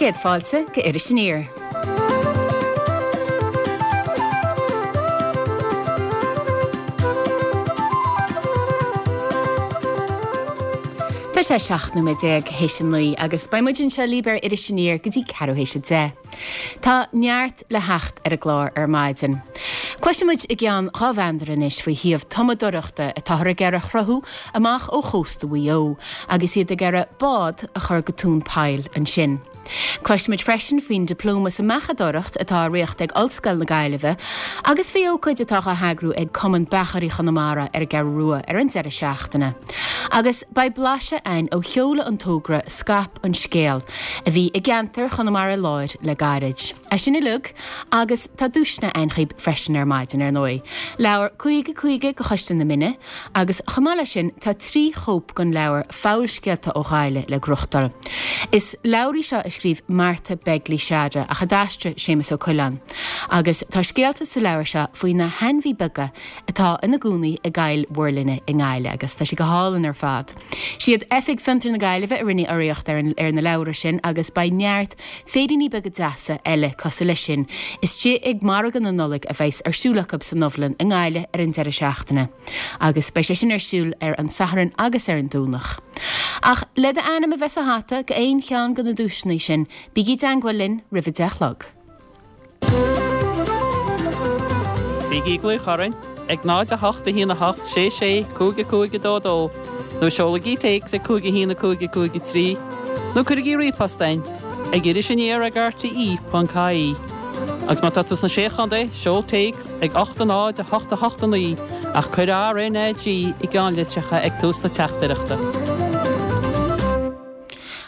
Céad fáilte go Iris Aniar. Tá sé 17 nóiméad théis a 9 agus beidh muid anseo libh ar Iris Aniar go dtí ceathrú théis a 10. Tá neart le theacht ar an gclár ar maidin. Cloisfidh muid i gceann 2 mheandar anois faoi shuíomh tumadóireachta atáthar ag iarraidh a chruthú amach ó chósta Mhaigh Eo agus iad ag iarraidh bád a chur go tóin poill ansin. Cloisfidh muid freisin faoin Dioplóma sa mBeachadóireacht atá á reáchtáil ag Ollscoil na Gaillimhe agus faoi ócáid atá á heagrú ag Cumann Beachairí Chonamara ar an gCeathrú Rua ar an deireadh seachtaine. Agus beidh blaiseadh againn ó sheoladh an togra Scaip an Scéal a bhí i gceantar Chonamara Láir le gairid. É sin uilig agus tá duaiseanna againn dhaoib freisin ar maidin, ar ndóigh. Leabhar 50 50 go Choiste na Mine agus chomh maith leis sin tá 3 chóip den leabhar Fabhalscéalta ó Ghaillimh le gnóthachtáil. Is leabhar í seo a scríobh Martha Begley Seada ach a d'aistrigh Séamus Ó Coileáin. Agus tá scéalta sa leabhar seo faoi na hainmhí beaga atá ina gcónaí i gCoill Mhuirlinne i nGaillimh agus tá sé go hálainn ar fad. Siad Oifig Fiontar na Gaillimhe a rinne urraíocht ar ar na leabhra sin agus beidh neart féiríní beaga deasa eile cosúil leis sin istigh ag Margadh na Nollag a bheas ar siúl acu san Ubhlann i nGaillimh ar an deireadh seachtaine agus beidh sé sin ar siúl ar an Satharn agus ar an Domhnach. Ach le d'ainm a bheith sa hata go aon cheann de na duaiseanna sin, bígí i dteangmháil linn roimh a 10 a chlog. Bígí ag glaoch orainn ag 0 8 1 8 6 6 5 5 2 2 nó seolaigí téacs ag 5 1 5 5 3 nó cuirigí ríomhphost chugainn ag irisaniar ag rte.ie. Agus má tá tú sna Sé Chontae, seol téacs ag 8 0 8 8 9 ach cuir RNAG i gceannlitreacha ag tús na teachtaireachta.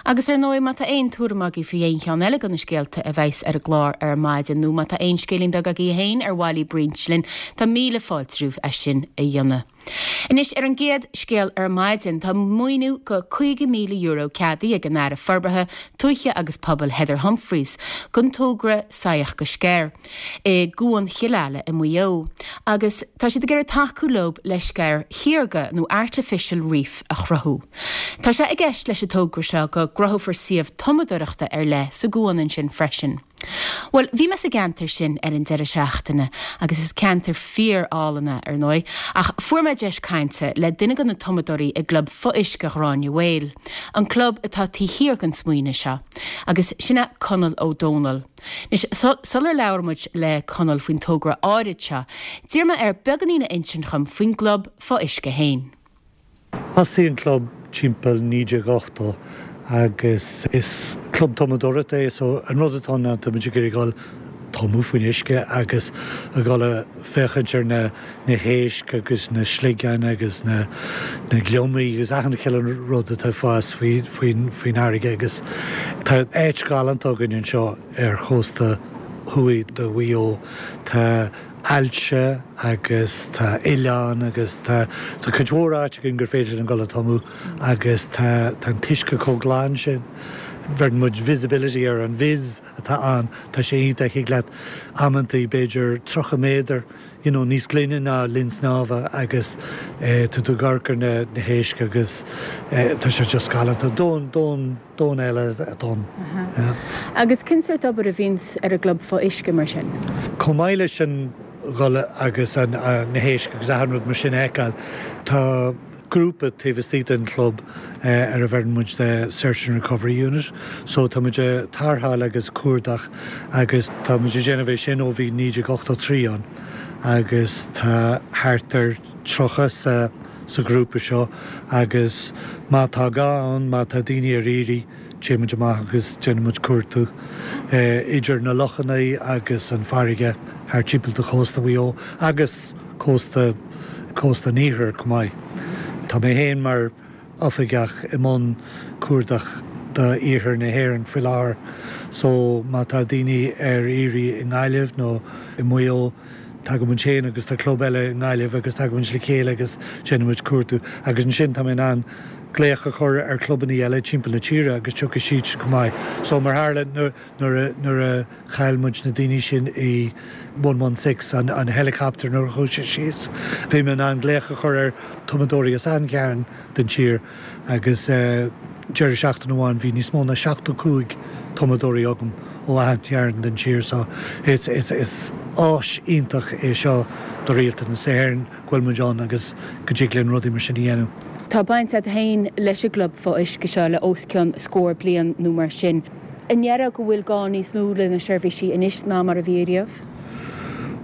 Agus ar ndóigh, má tá aon tuairim agaibh faoi aon cheann eile de na scéalta a bheas ar an gclár ar maidin, nó má tá aon scéilín beag agaibh féin ar mhaith libh roinnt linn, tá míle fáilte romhaibh é sin a dhéanamh. Anois, ar an gcéad scéal ar maidin, tá maoiniú go €50,000 ceadaithe ag an Aire Forbartha Tuaithe agus Pobail Heather Humphreys don togra Saigheach go Sceir i gCuan Chill Ala i Maigh Eo agus tá siad ag iarraidh tacú leo le sceir shaorga nó artificial reef a chruthú. Tá sé i gceist leis an togra seo go gcruthófar suíomh tumadóireachta ar leith sa gcuan ansin freisin. Bhuel, bhí mé sa gceantar sin ar an deireadh seachtaine agus is ceantar fíor-álainn é, ar ndóigh, ach fuair mé deis cainte le duine de na tumadóirí i gClub Fo-Uisce Ghráinne Mhaol, an club atá taobh thiar den smaoineamh seo, agus sin é Conall Ó Dónaill. Anois, sular labhair muid le Conall faoin togra áirid seo, d'iarr mé air beagáinín a insint dhom faoin gclub fo-uisce féin. Thosaigh an club timpeall 1980 agus is club tumadóireachta é so an rud atá ann ná tá muid ag iarraidh dul tumadh faoin uisce agus a dhul a féachaint ar na na héisc agus na sligeáin agus na na gliomaigh agus achan chineál rud atá ag fás faoi faoin faoin fharraige agus tá áit ghalánta againn anseo ar chósta thuaidh de Mhaigh Eo. Tá aillte agus tá oileáin agus tá tá cuid mhór áit againn gur féidir linn dul a tumadh agus tá tá an t-uisce chomh glan sin. Bheireann muid visibility air, an vis atá ann, tá sé iontach, thig leat amantaí b'fhéidir 30 méadar you know níos glaine ná linn snámha agus eh tá tú ag amharc ar na na héisc agus eh tá sé just galánta. Domhan domhan domhan eile atá ann. Agus cén sórt obair a bhíonns ar an gclub fo-uisce mar sin? Chomh maith leis an dhul agus na héisc agus achan rud mar sin a fheiceáil, tá grúpa taobh istigh den chlub ar a bheireann muid the Search and Recovery Unit. So tá muid ag tarrtháil agus cuardach agus tá muid ag déanamh é sin ó bhí 1983 ann agus tá thart ar 30 sa sa ghrúpa seo agus má tá gá ann, má tá daoine ar iarraidh, téann muid amach agus déanann muid cuartú idir na lochanna agus an farraige thart timpeall de chósta Mhaigh Eo agus cósta cósta an iarthair chomh maith. Tá mé féin mar oifigeach i mbun cuardach do iarthar na hÉireann faoi láthair so má tá daoine ar iarraidh i nGaillimh nó i Maigh Eo, Tagann muid féin agus tá club eile i nGaillimh agus tagann muid le chéile agus déanann muid cuartú agus ansin tá mé in ann glaoch a chur ar chlubannaí eile timpeall na tíre agus tiocfaidh siadsan chomh maith. So mar tharla nuair a nuair a chaill muid na daoine sin i 116 an an helicopter nuair a chuaigh sé síos bhí mé in ann glaoch a chur ar tumadóirí as achan chearn den tír agus deireadh seachtaine amháin bhí níos mó ná 75. tumadóirí agam ó achan chearn den tír so it's it's is áis iontach é seo do Rialtas na hÉireann go bhfuil muid ann agus go dtig linn rudaí mar sin a dhéanamh. Tá baint agat féin leis an gclub fo-uisce seo le os cionn scór bliain nó mar sin. An ndéarfá go bhfuil gá níos mó le na seirbhísí anois ná mar a bhí ariamh?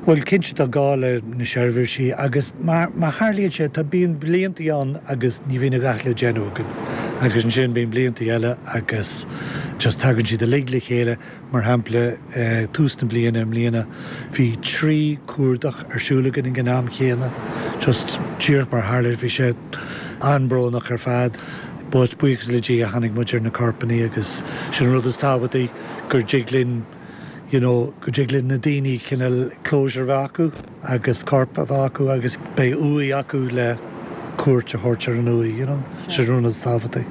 Bhuel, cinnte tá gá le na seirbhísí agus mar mar tharlaíonn sé, tá, bíonn bliantaí ann agus ní bhíonn a dhath le déanamh againn agus ansin bíonn bliantaí eile agus just tagann siad uilig le chéile. Mar shampla, tús na bliana i mbliana bhí 3 cuardach ar siúl againn ag an am chéanna, just díreach mar tharla, bhí sé an-brónach ar fad but buíochas le Dia tháinig muid ar na corpanna agus sin an rud is tábhachtaí gur dtig linn you know, go dtig le na daoine cineál closure a bheith acu agus corp a bheith acu agus beidh uaigh acu le cuairt a thabhairt ar an uaigh, you know, sin an rud is tábhachtaí.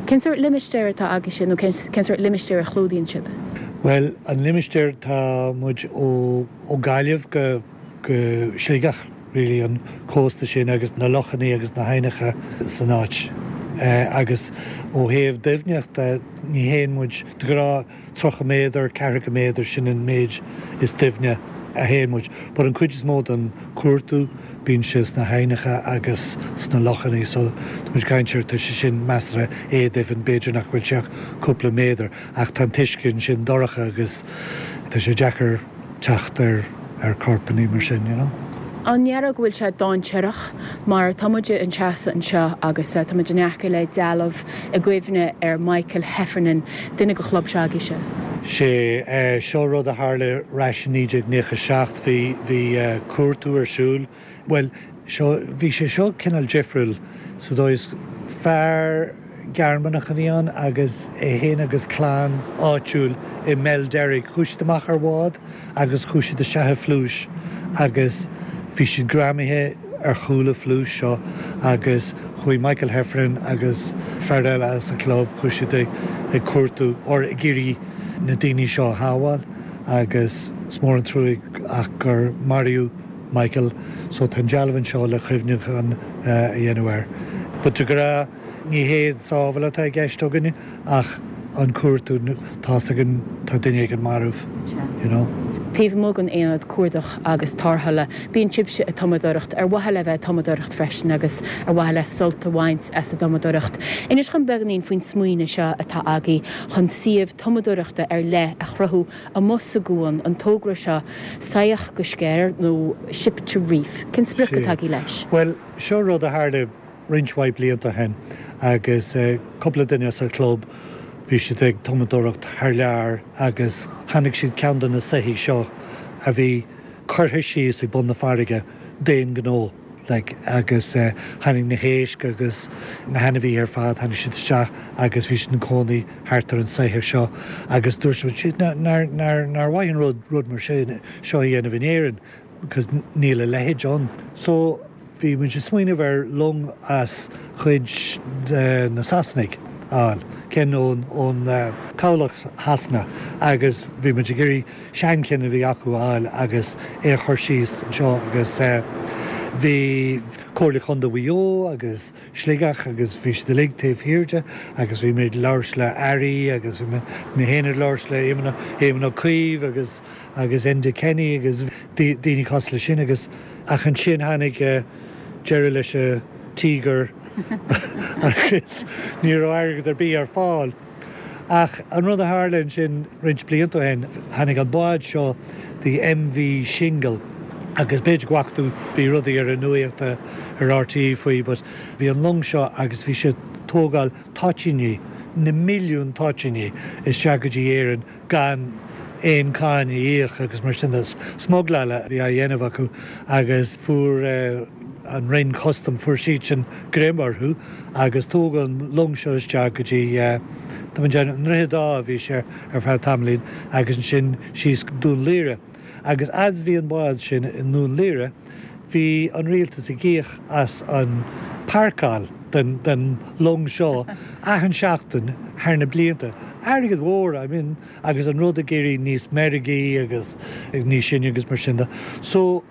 Cén sórt limistéar atá agaibhse nó cén sórt limistéar a chlúdaíonn sibh? Bhuel, an limistéar, tá muid ó ó Gaillimh go go Sligeach really, an cósta sin agus na lochannaí agus na haibhneacha san áit. Agus ó thaobh doimhneachta, ní théann muid, de ghnáth, 30 méadar, ceathracha méadar, sin an méid is doimhne a théann muid. But an cuid is mó den cuartú, bíonn sé sna haibhneacha agus sna lochannaí so tá muid ag caint ar, tá sé sin measartha éadoimhin, b'fhéidir nach bhfuil sé ach cúpla méadar ach tá an t-uisce ansin dorcha agus tá sé deacair teacht ar ar corpannaí mar sin, you know. An ndéarfá go bhfuil sé dainséarach mar tá muid ag seasamh anseo agus tá muid in aice le dealbh i gcuimhne ar Michael Heffernan, duine de chlub seo agaibhse. Sé seo rud a tharla ar ais i 1997, bhí bhí cuartú ar siúl, bhuel seo bhí sé seo cineál difriúil sa dóigh is fear Gearmánach a bhí ann agus é féin agus clann áitiúil i mBeil Deirg. Chuaigh siad amach ar bhád agus chuaigh siad isteach i phluais agus bhí siad greamaithe ar chúl an phluais seo agus chuaigh Michael Heffernan agus fear eile as an chlub, chuaigh siad ag cuartú or ag iarraidh na daoine seo a shábháil agus is mór an truaigh ach gur maraíodh Michael, so tá an dealbh anseo le cuimhneachán a dhéanamh air. But de ghnáth ní hé an sábháil atá i gceist againne ach an cuartú, tá's againn tá duine éigin marbh, you know. Taobh amuigh den aonad cuardach agus tarrthála, bíonn sibhse ag tumadóireacht ar mhaithe le bheith ag tumadóireacht freisin agus ar mhaithe le sult a bhaint as an dtumadóireacht. Inis dhom beagáinín faoin smaoineamh seo atá agaibh chun suíomh tumadóireachta ar leith a chruthú amuigh sa gcuan, an togra seo, Soitheach go Sceir nó Ship to Reef. Cén sprioc atá agaibh leis? Bhuel, seo rud a tharla roinnt mhaith blianta ó shin agus cúpla duine as an chlub, bhí siad ag tumadóireacht thar lear agus chonaic siad ceann de na soithí seo a bhí curtha síos ag bun na farraige d'aon ghnó. like agus tháinig na héisc agus na hainmhithe ar fad, tháinig siad isteach agus bhí siad ina cónaí thart ar an soitheach seo agus dúirt siad nár, nár, nár, nár mhaith an rud, rud mar sin, seo a dhéanamh in Éirinn because níl a leithéid ann. So bhí muid ag smaoineamh ar long as chuid de na Sasanaigh a fháil, ceann ón, ón cabhlach Shasana agus bhí muid ag iarraidh seancheann a bhí acu a fháil agus é a chur síos anseo agus bhí Comhairle Chontae Mhaigh Eo agus Sligeach agus bhí siad uilig taobh thiar de agus bhí muid ag labhairt le airí agus bhí mé féin ag labhairt le Éamon Éamon Ó Cuív agus agus Enda Kenny agus daoine cosúil leis sin agus ach ansin tháinig deireadh leis an Tíogar agus ní raibh airgead ar bith ar fáil. Ach an rud a tharla ansin roinnt blianta ó shin, tháinig an bád seo, the MV Shingle, agus b'fhéidir go bhfaca tú, bhí rudaí ar an nuaíocht ar RTÉ faoi, but bhí an long seo agus bhí sé ag tógáil toitíní, na milliúin toitíní isteach go dtí Éirinn gan aon cáin a íoc agus mar sin de. Smugláil a bhí á dhéanamh acu agus fuair an Roinn Custam, fuair siadsan greim orthu agus tógadh an long seo isteach go dtí, tá mé ag déanamh, an Droichead Átha a bhí sé ar feadh tamaillín agus ansin síos go Dún Laoghaire. Agus fhad is bhí an bád sin i nDún Laoghaire, bhí an rialtas ag íoc as an páirceáil den den long seo achan seachtain thar na blianta. Airgead mhór, I mean, agus an rud ag éirí níos meirgí agus níos sine agus mar sin de. So,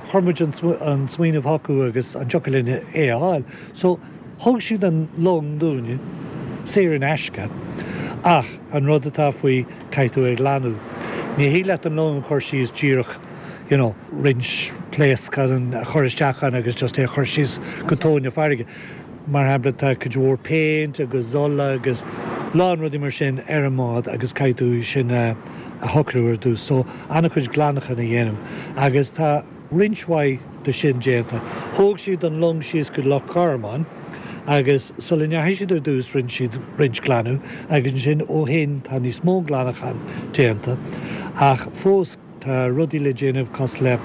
chuir muid an an smaoineamh chucu agus an dtiocfadh linn é a fháil. So, thug siad an long dúinne, saor in aisce. Ach an rud atá faoi, caithfidh tú é a ghlanadh. Ní thig leat an long a chur síos díreach, you know, roinnt pléascán a chur isteach ann agus just é a chur síos go tóin na farraige. Mar shampla, tá cuid mhór péint agus ola agus lán rudaí mar sin ar an mbád agus caithfidh tú sin a shocrú ar dtús. So, an-chuid glanacháin a dhéanamh agus tá roinnt mhaith de sin déanta. Thóg siad an long síos go Loch Garman agus sula ndeachaigh siad ar dtús rinne siad roinnt glanadh agus ansin ó shin tá níos mó glanacháin déanta ach fós tá rudaí le déanamh cosúil le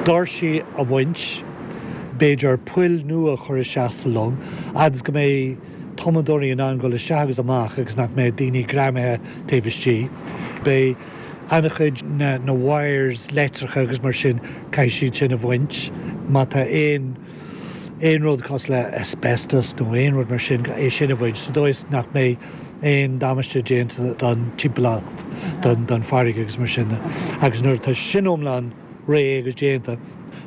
doirsí a bhaint, b'fhéidir poill nua a chur isteach sa long agus go mbeidh tumadóirí in ann dul isteach agus amach agus nach mbeidh daoine greamaithe taobh istigh. Beidh an-chuid na na wires leictreacha agus mar sin, caithfidh siad sin a bhaint. Má tá aon aon rud cosúil le asbestos nó aon rud mar sin, é sin a bhaint sa dóigh is nach mbeidh aon damáiste déanta don timpeallacht, don farraige agus mar sin de. Agus nuair atá sin iomlán réidh agus déanta,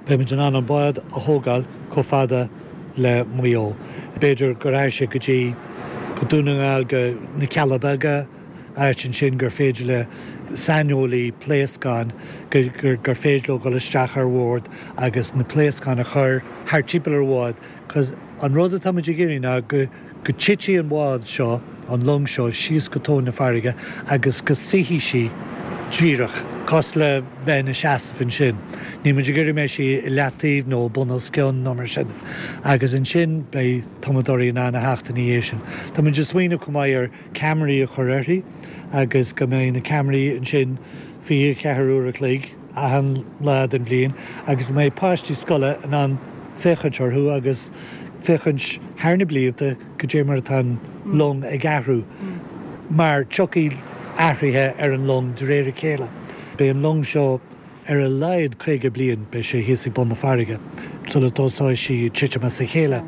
beimid in ann an bád a thógáil chomh fada le Maigh Eo. B'fhéidir go rachaidh sé go dtí go Dún na nGall, go na Cealla Beaga, áit ansin gur féidir le saineolaí pléascán, gur féidir leo dul isteach ar bhord agus na pléascáin a chur thart timpeall ar an bhád. 'Cause an rud atá muid ag iarraidh ná go. go dtitfidh an bhád seo, an long seo, síos go tóin na farraige agus go suífidh sí díreach cosúil le bheith ina seasamh ansin. Níl muid ag iarraidh go mbeidh sí i leataobh nó bun os cionn nó mar sin. Agus ansin beidh tumadóirí in ann a theacht ina dhiaidh sin. Tá muid ag smaoineamh chomh maith ar ceamaraí a chur uirthi agus go mbeidh na ceamaraí ansin 24 uair a chloig achan lá den bhliain agus go mbeidh páistí scoile in ann féachaint orthu agus féachaint thar na blianta goidé mar atá an long ag athrú mar tiocfaidh athruithe ar an long de réir a chéile. Beidh an long seo ar a laghad 50 bliain, beidh sé thíos ag bun na farraige sula dtosóidh sí ag titim as a chéile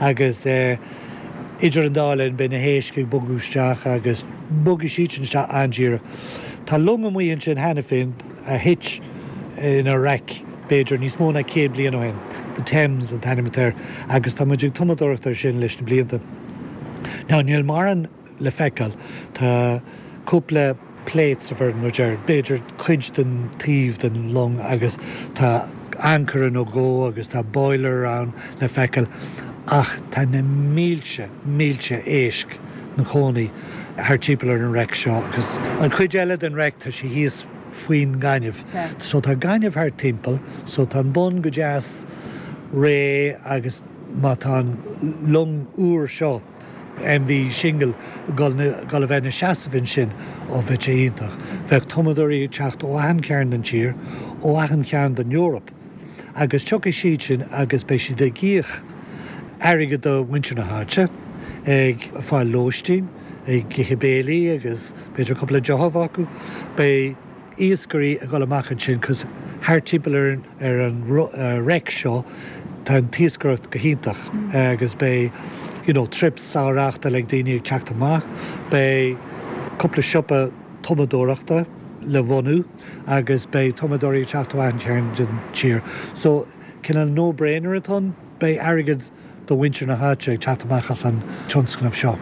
agus idir an dá linn beidh na héisc ag bogadh isteach agus bogfaidh siad sin isteach an-díreach. Tá long amuigh ansin cheana féin a thit ina raic b'fhéidir níos mó ná 100 bliain ó shin, The Thames an t-ainm atá air, agus tá muid ag tumadóireacht air sin leis na blianta. Now níl mórán le feiceáil, tá cúpla plates a bheireann muid air, b'fhéidir cuid den taobh den long agus tá ancaire nó dhó agus tá boiler ann le feiceáil ach tá na mílte, mílte éisc 'na chónaí thart timpeall ar an raic seo agus an chuid eile den raic tá sé thíos faoin ngaineamh. So tá gaineamh thart timpeall, so tá an bun go deas réidh agus má tá an long úr seo, MV Shingle, dul dul a bheith ina seasamh ansin, ó bheadh sé iontach. Bheadh tumadóirí ag teacht ó achan chearn den tír, ó achan chearn den Eoraip agus tiocfaidh siad sin agus beidh siad ag íoc airgead do mhuintir na háite, ag fáil lóistín, ag ithe béilí agus b'fhéidir cúpla deoch a bheith acu. Beidh iascairí ag dul amach ansin 'cause thart timpeall ar an ar an raic seo tá an t-iascaireacht go hiontach agus beidh you know trips á reáchtáil ag daoine ag teacht amach. Beidh cúpla siopa tumadóireachta le bhunú agus beidh tumadóirí ag teacht ó achan chearn den tír. So cineál no brainer atá ann, beidh airgead do mhuintir na háite ag teacht amach as an tionscnamh seo.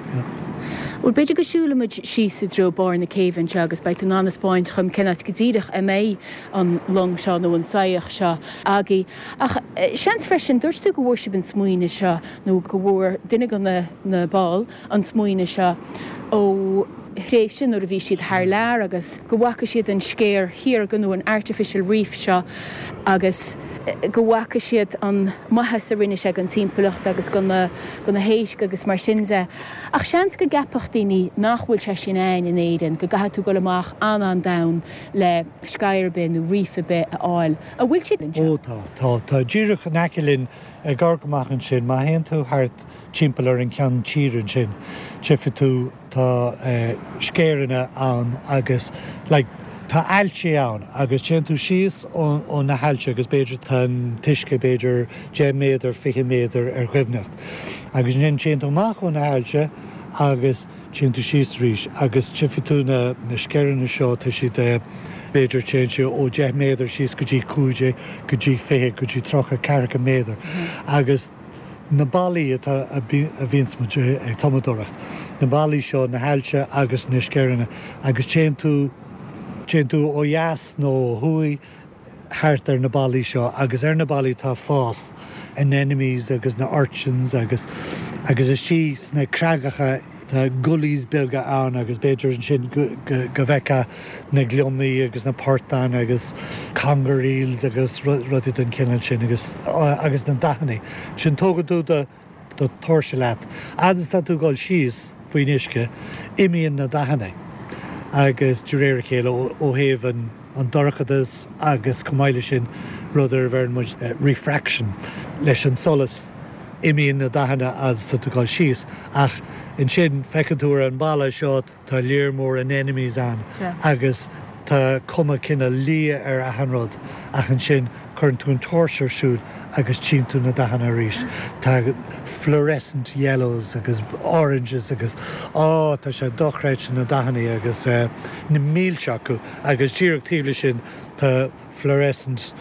Bhuel, b'fhéidir go siúlfaidh muid síos i dtreo barr na céibhe anseo agus beidh tú in ann a 'speáint dhom cén áit go díreach a mbeidh an long seo nó an soitheach seo agaibh. Ach seans freisin, dúirt tú go bhfuair sibh an smaoineamh seo nó go bhfuair duine de na baill an smaoineamh seo ó thréimhse nuair a bhí siad thar lear agus go bhfaca siad an sceir shaorga nó an artificial reef seo agus go bhfaca siad an maitheas a rinne sé don timpeallacht agus do na do na héisc agus mar sin de. Ach seans go gceapfadh daoine nach bhfuil sé sin ann in Éirinn, go gcaithfidh tú dul amach an-an-domhain le sceir ar bith nó reef ar bith a fháil. An bhfuil siad anseo? Ó tá, tá, tá díreach in aice linn ag amharc amach ansin, má théann tú thart timpeall ar an ceann tíre ansin, tchífidh tú tá sceireanna ann agus like tá aillte ann agus téann tú síos ó na haillte agus b'fhéidir tá an t-uisce b'fhéidir 10 méadar, 20 méadar ar dhoimhneacht agus ansin téann tú amach ó na haillte agus téann tú síos arís agus tchífidh tú na na sceireanna seo tá siad b'fhéidir téann sé ó 10 méadar síos go dtí 15 go dtí 20 go dtí 30, 40 méadar agus. na ballaí atá, a bhíonns muid ag tumadóireacht, na ballaí seo, na haillte agus na sceireanna agus téann tú, téann tú ó dheas nó ó thuaidh thart ar na ballaí seo agus ar na ballaí tá fás, anemones agus na urchins agus, agus istigh sna creagacha tá gullies beaga ann agus b'fhéidir ansin go, go, go bhfeicfeá na gliomaigh agus na portáin agus conger eels agus rudaí den chineál sin agus, agus na dathanna. Ansin tógann tú do, do tóirse leat. Fhad is atá tú ag dul síos faoin uisce, imíonn na dathanna agus de réir a chéile ó thaobh an an dorchadas agus chomh maith leis sin rud ar a bheireann muid refraction leis an solas, imíonn na dathanna fhad is atá tú ag dul síos ach ansin feiceann tú ar an balla seo Tá léar mór anemones ann agus tá cuma cineál liath ar achan rud ach ansin cuireann tú an tóirse ar siúl agus tchíonn tú na dathanna arís. Tá fluorescent yellows agus oranges agus á tá sé dochreidte na dathanna agus na mílte acu agus díreach taobh leis sin tá fluorescent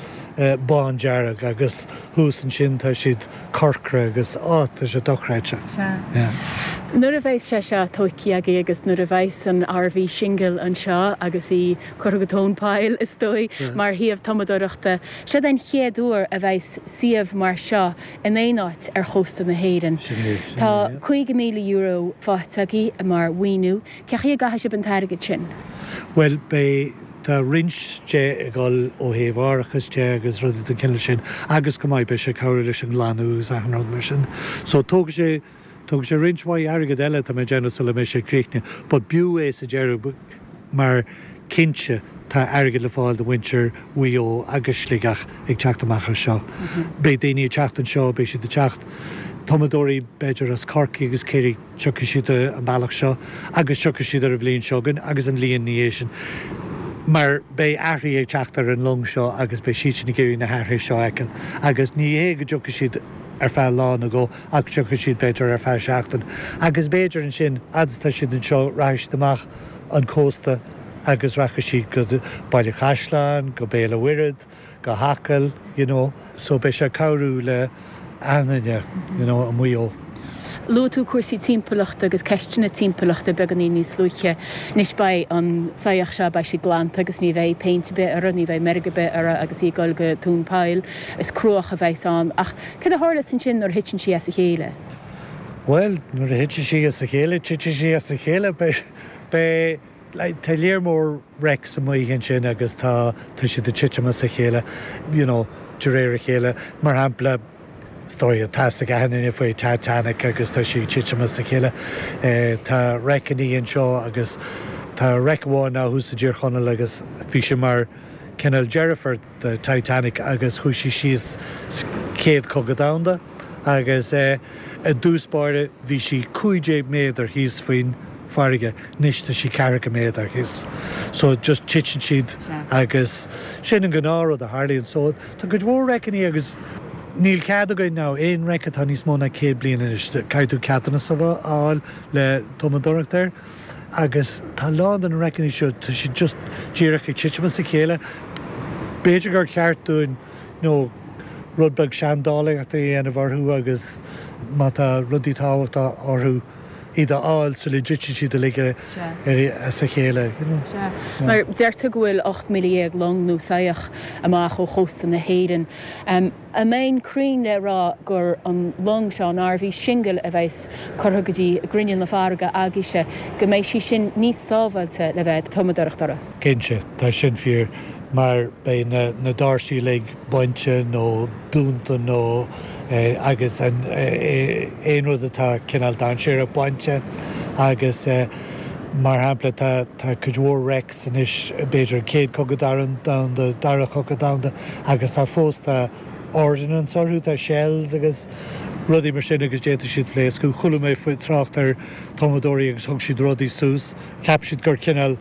bándearg agus thuas ansin tá siad corcra agus á tá sé dochreidte. Sea. Yeah. Nuair a bheas sé seo tóigthe agaibh agus nuair a bheas an RV Shingle anseo agus í curtha go tóin poill is dóigh mar shuíomh tumadóireachta, seod é an chéad uair a bheas suíomh mar seo in aon áit ar chósta na hÉireann. Sin é, sin é, Tá yeah. €50,000 faighte agaibh mar mhaoiniú. Cén chaoi a gcaithfidh sibh an t-airgead sin? Bhuel, beidh. Tá roinnt de ag dul ó thaobh árachas de agus rudaí den chineál sin agus go maith beidh sé ag cabhrú leis an nglanadh agus achan rud mar sin. So tógfaidh sé, tógfaidh sé roinnt mhaith airgead eile tá mé ag déanamh sula mbeidh sé críochnaithe but b'fhiú é sa deireadh mar cinnte tá airgead le fáil do mhuintir Mhaigh Eo agus Sligeach ag teacht amach as seo. Beidh daoine ag teacht anseo, beidh siad ag teacht, tumadóirí b'fhéidir as Corcaigh agus Ciarraí, Tiocfaidh siad an bealach seo agus tiocfaidh siad ar an bhliain seo chugainn agus an bhliain ina dhiaidh sin mar beidh athruithe ag teacht ar an long seo agus beidh siadsan ag iarraidh na hathruithe seo a fheiceáil agus ní hé go dtiocfaidh siad ar feadh lá nó dhó ach tiocfaidh siad b'fhéidir ar feadh seachtain agus b'fhéidir ansin fhad is atá siad anseo rachaidh siad amach an cósta agus rachaidh siad go Baile Chaisleáin, go Béal an Mhuirthead. go hAcaill, you know, so beidh sé ag cabhrú le achan duine, you know, i Maigh Eo. Luaigh tú cúrsaí timpeallachta agus ceisteanna timpeallachta beagáinín níos luaithe. Anois beidh an soitheach seo, beidh sí glanta agus ní bheidh péint ar bith uirthi, ní bheidh meirg ar bith uirthi agus í ag dul go tóin poill. Is cruach a bheas ann. Ach céard a tharlós ansin nuair a thiteann sí as a chéile? Bhuel, nuair a thiteann sí as a chéile, titfidh sí as a chéile. Beidh, beidh. Tá léar mór wrecks amuigh ansin agus tá tá siad ag titim as a chéile you know de réir a chéile. Mar shampla, is dóigh tá fhios ag achan duine faoi Titanic agus tá sí ag titim as a chéile. Tá wreckannaí anseo agus tá wreck amháin ná thuas i dTír Chonaill agus bhí sé mar cineál deirfiúr do Titanic agus chuaigh sí síos sa Chéad Chogadh Domhanda agus i dtús báire bhí sí 15 méadar thíos faoin farraige, anois tá sí ceathracha méadar thíos. So just titeann siad agus sin an gnáth rud a tharlaíonn. So tá cuid mhór wreckannaí agus níl cead againn now aon wreck atá níos mó ná 100 bliain anois, caithfidh tú ceadúnas a fháil le tumadóireacht air. Agus tá a lán de na wreckannaí seo, tá siad just díreach ag titim as a chéile. B'fhéidir gur cheart dúinn you know rud beag seandálaíochta a dhéanamh orthu agus má tá rudaí tábhachtacha orthu, iad a fháil sula dtiteann siad uilig as a chéile, you know. Sea. Mar deirtear go bhfuil 18,000 long nó soitheach amach ó chósta na hÉireann. An mbeinn cruinn le rá gur an long seo, an RV Shingle, a bheas curtha go dtí grinneall na farraige agaibhse, go mbeidh sí sin níos sábháilte le bheith ag tumadóireacht uirthi? Cinnte, tá sin fíor, mar beidh na doirsí uilig bainte nó dúnta nó agus aon rud atá cineál dainséarach bainte agus mar shampla tá cuid mhór wrecks anois, b'fhéidir an Chéad Chogadh Domhanda, Dara Cogadh Domhanda agus tá fós tá ordnance orthu, tá shells agus rudaí mar sin agus d'fhéadfadh siad phléascadh. Chuala mé faoi trácht ar tumadóirí agus thug siad rudaí suas, cheap siad gur cineál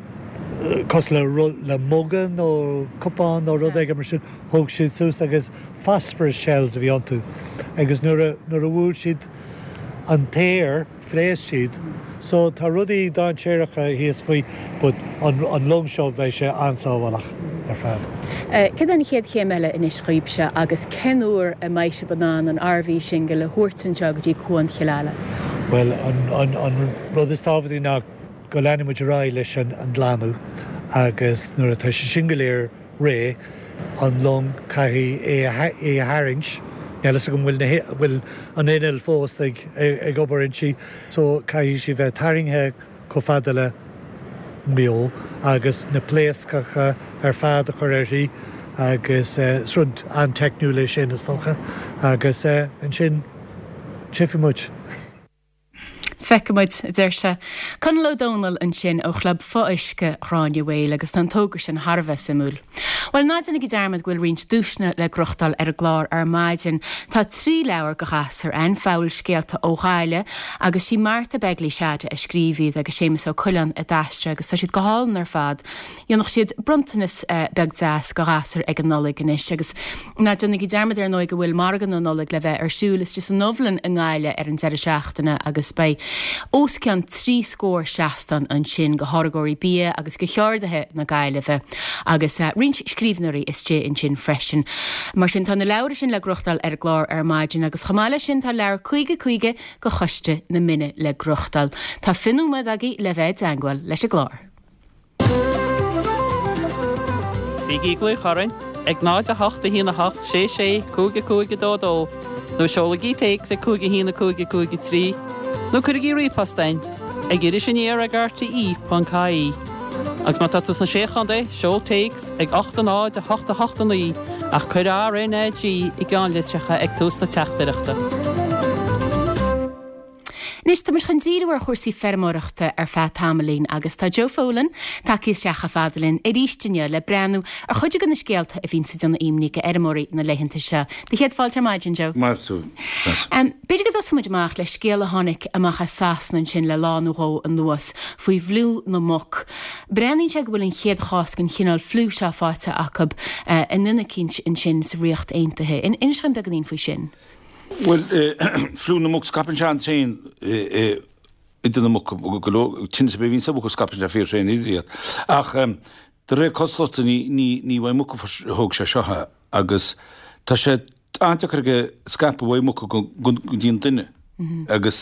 cosúil le le muga nó cupán nó rud éigin mar sin, thóg siad suas agus phosphorus shells a bhí iontu agus nuair a nuair a bhuail siad an t-aer, phléasc siad. So tá rudaí dainséaracha thíos faoi but an an long seo beidh sé an-sábhálach ar fad. Céard é an chéad chéim eile anois dhaoibhse agus cén uair a mbeidh sibh in ann an RV Shingle a thabhairt anseo go dtí Cuan Chill Ala? Bhuel, an rud is tábhachtaí ná go leanfaidh muid ar aghaidh leis an glanadh agus nuair atá sé sin go léir réidh, an long, caithfidh é a tharraingt, níl fhios agam an bhfuil an inneall fós ag obair inti, so caithfidh sí bheith tarraingthe chomh fada le Maigh Eo agus na pléascacha ar fad a chur uirthi agus is rud an-teicniúil é sin is dócha agus ansin tchífidh muid. Feicfidh muid, a deir sé. Conall Ó Domhnaill ansin ó Chlub Fo-Uisce Ghráinne Mhaol agus tá an togra sin thar a bheith suimiúil. Bhuel, ná déanaigí dearmad go bhfuil roinnt duaiseanna le gnóthachtáil ar an gclár ar maidin. Tá 3 leabhar go ghasúir ann, Fabhalscéalta ó Ghaillimh, agus sí Martha Begley Shada a scríobh iad agus Séamus Ó Coileáin a d'aistrigh agus tá siad go hálainn ar fad. Dhéanfadh siad bronntanas beag deas go ghasúir ag an Nollaig anois agus ná déanaigí dearmad ar ndóigh go bhfuil Margadh na Nollag le bheith ar siúl istigh san Ubhlann i nGaillimh ar an deireadh seachtaine agus beidh os cionn 3 scór seastán ansin go tháirgeoirí bia agus go cheardaithe na Gaillimhe agus roinnt scríbhneoirí istigh ansin freisin. Mar sin tá na leabhair sin le gnóthachtáil ar an gclár ar maidin agus chomh maith leis sin tá leabhar 50 50 go Choiste na Mine le gnóthachtáil. Tá 20 nóiméad agaibh le bheith i dteangmháil leis an gclár. Bígí ag glaoch orainn ag 0 8 1 8 6 6 5 5 2 2 nó seolaigí téacs ag 5 1 5 5 3 nó cuirigí ríomhphost chugainn ag irisaniar ag rte.ie. Agus má tá tú sna Sé Chontae, seol téacs ag 8 0 8 8 9 ach cuir RNAG i gceannlitreacha ag tús na teachtaireachta. Anois, tá muid chun díriú ar chúrsaí feirmeoireachta ar feadh tamaillín agus tá Joe Folan tagtha isteach chomh fada linn arís inniu le breathnú ar chuid de na scéalta a bhíonns ag déanamh imní go fheirmeoirí na laethanta seo. Do chéad fáilte ar maidin, Joe. Maith thú, Treasa. B'fhéidir go dtosóidh muid amach le scéal a tháinig amach as Sasana ansin le lá nó dhó anuas faoi fhliú na muc. Breathnaíonn sé go bhfuil an chéad chás den chineál fliú seo faighte acu i nduine eicínt ansin sa Ríocht Aontaithe. Inis dúinn beagáinín faoi sin. Bhuel, fliú na muc, scaipeann sé an-tréan idir na muca, go leor, tinneas ar bith a bhíonns ar mhuca scaipeann sé fíor-thréan idir iad. Ach de réir cosúlachta ní, ní, ní uaidh muca a thóg sé seo é agus tá sé an-deacair aige scaipeadh uaidh muca go, go dtí an duine. Agus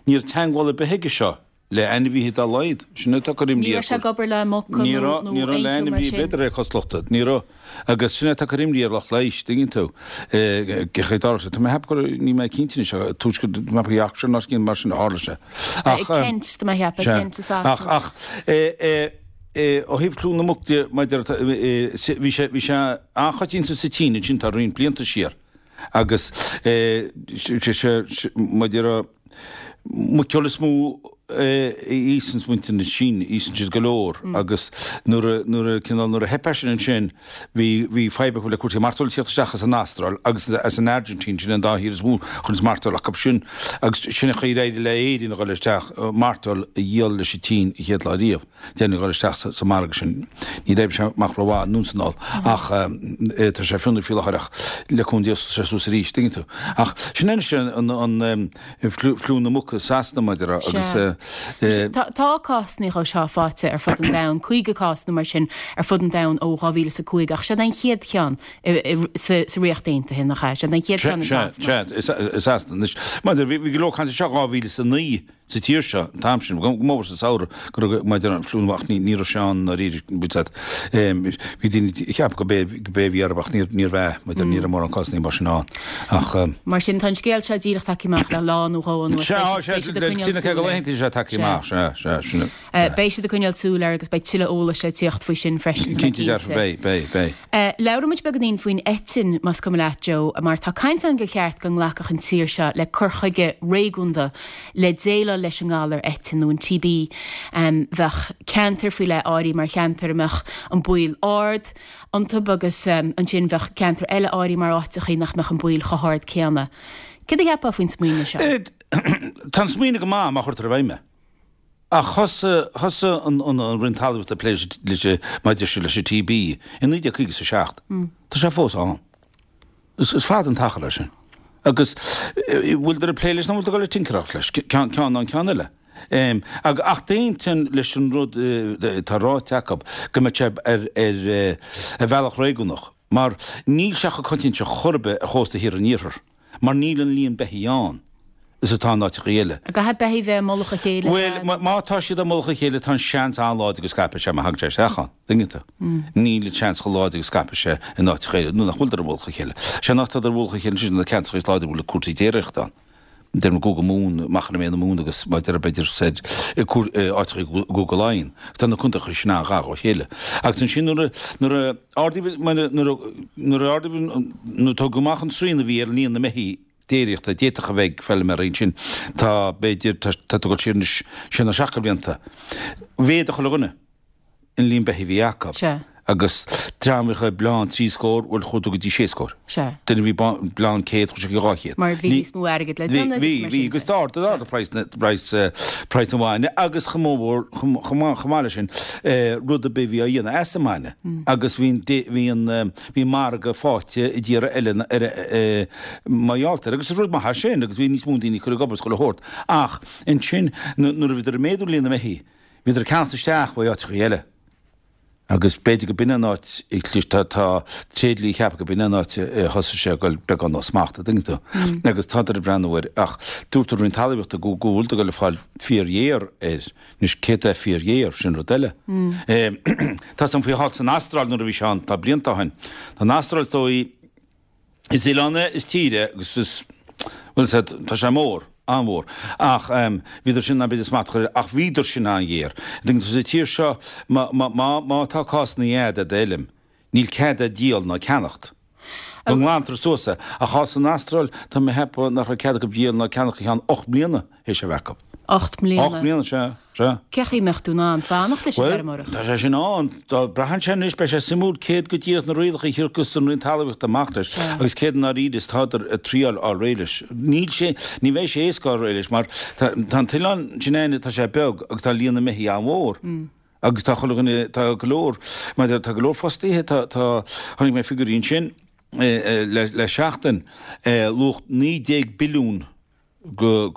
ní raibh teagmháil ar bith aige seo le ainmhithe dá laghad. Sin atá ag cur imní Ní raibh sé ag obair le muca nó Ní raibh, ní raibh le ainmhí ar bith de réir cosúlachta. Ní raibh. Agus sin atá ag cur imní ar lucht leighis, tuigeann tú. Cén chaoi a dtarla sé. Tá mé ag ceapadh go raibh, níl mé cinnte anois, ach tuaisceart, tá mé ag ceapadh Yorkshire nó áit mar sin a tharla sé. Ach. Kent, tá mé ag ceapadh, Kent i Sasana. Ach, ach, ó thaobh fliú na muc de, maidir, bhí sé, bhí sé an-choitianta sa tSín ansin tá roinnt blianta siar. Agus, sé, sé, maidir, Muiceoil is mó a íosanns muintir na Síne, íosann siad go leor agus nuair a, nuair a, cineál, nuair a theip air sin ansin, bhí, bhí fadhb acu le cúrsaí mairteoil ag tíocht isteach as an Astráil agus as an Airgintín, sin an dá thír is mó a chuireanns mairteoil acu sin agus sin an chaoi ar éirigh le Éirinn a dhul isteach, mairteoil a dhíol leis an tSín an chéad lá riamh. D'éirigh linn a dhul isteach sa margadh sin. Níor oibrigh sé amach rómhaith anonn 's anall ach tá sé fionraí faoi láthair ach le cúnamh Dé osclóidh sé suas arís, tuigeann tú. Ach sin anois an fliú na muc i Sasana maidir agus. Tá cásanna dhó seo faighte ar fud an domhain, 50 cás nó mar sin ar fud an domhain ó 2005 ach siod é an chéad cheann sa Ríocht Aontaithe, nach ea? Siod é an chéad cheann i Sasana. Sea, i Sasana. Anois, maidir, bhí go leor cainte anseo 2009. sa tír seo an t-am sin, go mór sa samhradh, go raibh maidir an fliú ach ní raibh sé ann ndáiríre, bhfuil a fhios agat. Bhí daoine ag ceapadh go b'é go b'é a bhí orthu ach níor níorbh ea, maidir ní raibh mórán cásanna mar sin ann. Ach. Mar sin, tá an scéal seo díreach tagtha amach le lá nó dhó anuas. Sea, sea, beidh siad ag coinneáil súil air. Laethanta sé tagtha amach, sea, sea, sin é. Beidh siad ag coinneáil súil air agus beidh tuilleadh eolais le tíocht faoi sin freisin, tá mé Cinnte dearfa, beidh, beidh, beidh. Labhróidh muid beagáinín faoin eitinn, más cuma leat, Joe, mar tá caint ann gur cheart go nglacfadh an tír seo le cur chuige réigiúnda le déileáil leis an ngalar eitinn nó an TB. Bheadh ceantair faoi leith áirithe mar cheantair a mbeadh an baol ard iontu agus ansin bheadh ceantair eile áirithe mar áiteachaí nach mbeadh an baol chomh hard céanna. Céard a cheapfá faoin smaoineamh seo? Tá an smaoineamh go maith má chuirtear i bhfeidhm é. Ach thosaigh, thosaigh an, an, an Roinn Talmhaíochta ag plé leis an, maidir sin leis an TB i 1957. Tá sé fós ann. Is, is fada an t-achar é sin. Agus bhfuiltear ag plé leis nó bhfuiltear ag dul ag tinceráil leis, ceann, ceann ná an ceann eile. Ag, ach d'aontóinn leis an rud atá ráite acu go mbeadh sé ar, ar, ar bhealach réigiúnach. Mar níl sé chomh coitianta chor ar bith ar chósta thiar an iarthair, mar níl an líon beithígh ann is atá in áiteachaí eile. An gcaithfidh beithígh bheith i mullach a chéile? Bhuel, má tá siad i mullach a chéile tá an seans an-láidir go scaipfidh sé má thagann sé isteach ann, dtuigeann tú. Níl an seans chomh láidir go scaipfidh sé in áiteacha eile nuair nach bhfuiltear i mullach a chéile. Sé an áit atá i mullach a chéile sin na ceantracha is láidre a bhfuil cúrsaí déiríochta ann. Deirim i gCúige Mumhan, Machaire Méith na Mumhan agus mar a déarfá b'fhéidir soir i áiteacha i gCúige Laighean. Tá na contaetha sin an-ghar dá chéile. Agus ansin nuair a, nuair a ardaíodh, nuair a, nuair a ardaíodh, nuair a tógadh amach an srian a bhí ar líon na mbeithígh déiríochta a d'fhéadfadh a bheith ag feilméaraí ansin, tá, b'fhéidir, tá, tá tú ag dul siar anois sé nó seacht de bhlianta, mhéadaigh chuile dhuine. an líon beithígh a bhí acu. Sea. Agus dream a bhíodh ag bleán trí scór, bhuel, chuaigh tú go dtí sé scór. Sea. Duine a bhí bleán 100, chuaigh sé go dtí 200. Mar bhí níos mó airgid le déanamh agus mar sin de. Bhí, bhí, agus d'ardaigh, d'ardaigh praghas na, praghas, praghas an bhainne agus chomh mór, chomh, chomh maith, chomh maith leis sin, rud ar bith a bhí á dhéanamh as an mbainne. Agus bhí an, bhí an, bhí an margadh faighte i dtíortha eile ar, mar gheall air. Agus is rud maith é sin agus bhí níos mó daoine ag cur ag obair is chuile shórt. Ach ansin, nuair a bhíodar ag méadú líon na mbeithígh, Bhíodar ag ceannacht isteach ó áiteachaí eile agus b'fhéidir go b'in an áit a chlis, tá, tá tréidliaí ag ceapadh go b'in an áit a thosaigh sé ag dul beagán ó smacht, a' dtuigeann tú. Agus tádar ag breathnú air ach dúirt an Roinn Talmhaíochta go, go bhfuil ag dul ag fáil fíor-ghéar air. Anois céard é fíor-ghéar, sin rud eile. Tá 's a'm faoi thall san Astráil nuair a bhí sé ann, tá blianta ó shin. Tá an Astráil is dóigh, Is oileán é, is tír é agus is, bhuel, is tá sé mór, an-mhór. Ach bhíodar sin in ann b'fhéidir smacht a chur air, ach bhíodar sin an-ghéar. Tuigeann tú, sa tír seo, má, má, má, má tá cásanna a'd ar d'fheilm, níl cead a'd díol ná ceannacht. Go nglantar suas é. Ach thall san Astráil, tá mé a cheapadh nach raibh cead acu díol ná ceannacht go ceann 8 mbliana. théis a bheith acu. 8 mbliana. 8 mbliana, sea, sea. Cé chaoi a mbeadh tú in ann fanacht leis an bhfeirmeoireacht? Bhuel, tá sé sin ann. Dá braitheann sé anois, beidh sé suimiúil céard go díreach na rialacha a thiocfas an Roinn Talmhaíochta amach leis agus céard i ndáiríre is tádar ag triáil fháil réidh leis. Níl sé, ní bheidh sé éasca fháil réidh leis mar tá, tá an t-oileán sin a'inne, tá sé beag agus tá líon na mbeithígh an-mhór. Agus tá chuile dhuine, tá go leor, mar tá go leor fostaithe, tá, tá, chonaic mé figiúirí ansin le, le seachtain, luach 19 billiún go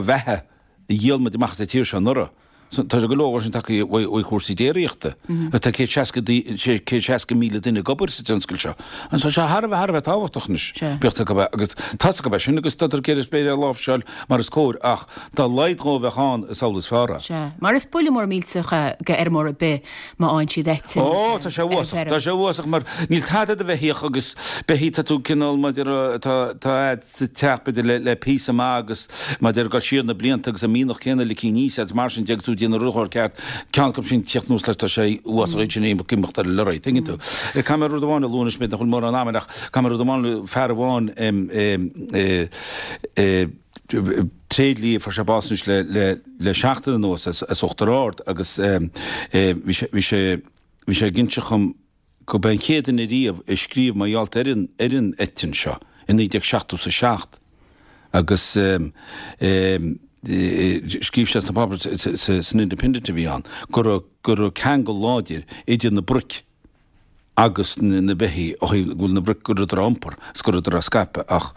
bheatha a dhíol muid amach as an tír seo anuraidh. Tá go leor sin tagtha ó chúrsaí déiríochta. Agus tá 160,000 duine ag obair sa tionscal seo. Agus tá sé thar a bheith, thar a bheith tábhachtach anois. Bíodh acu agus tá 's acu é sin agus tá ag iarraidh b'fhéidir é a láimhseáil mar is cóir ach dá laghad dhó a bheadh ann is amhlaidh is fearr é. Sea. Mar is buille mór millteach é go fheirmeoir ar bith má fhaigheann siad eitinn Ó, tá sé ar an uafásach, bhfeirm. tá sé uafásach mar níl tada do bheithíoch agus beithígh tá tú cineál mar tá tá a'd sa teach b'fhéidir le le píosa maith agus mar ag dul siar na blianta agus an mianach céanna ligthe aníos agus mar sin de agus tú ag déanamh rud a chur ceart ceann acu sin tíocht anuas leis tá sé uafásach iad sin ag imeacht ar an lorry tuigeann tú. Caithfidh mé rud amháin a lua anois b'fhéidir nach bhfuil mórán ama ach caithfidh mé rud amháin a lua fear amháin tréidlia fuair sé bás anois le le le seachtain anuas as as Uachtar Ard agus bhí sé bhí sé bhí sé ag inseacht dhom go b'é an chéad duine riamh a scríobh mar gheall ar an ar an eitinn seo i 1977 agus scríobh sé sna páipéir san Independent a bhí ann go raibh go raibh ceangal láidir idir na broic agus na beithígh ó thaobh go bhfuil na broic go rabhadar á iompar is go rabhadar á scaipeadh ach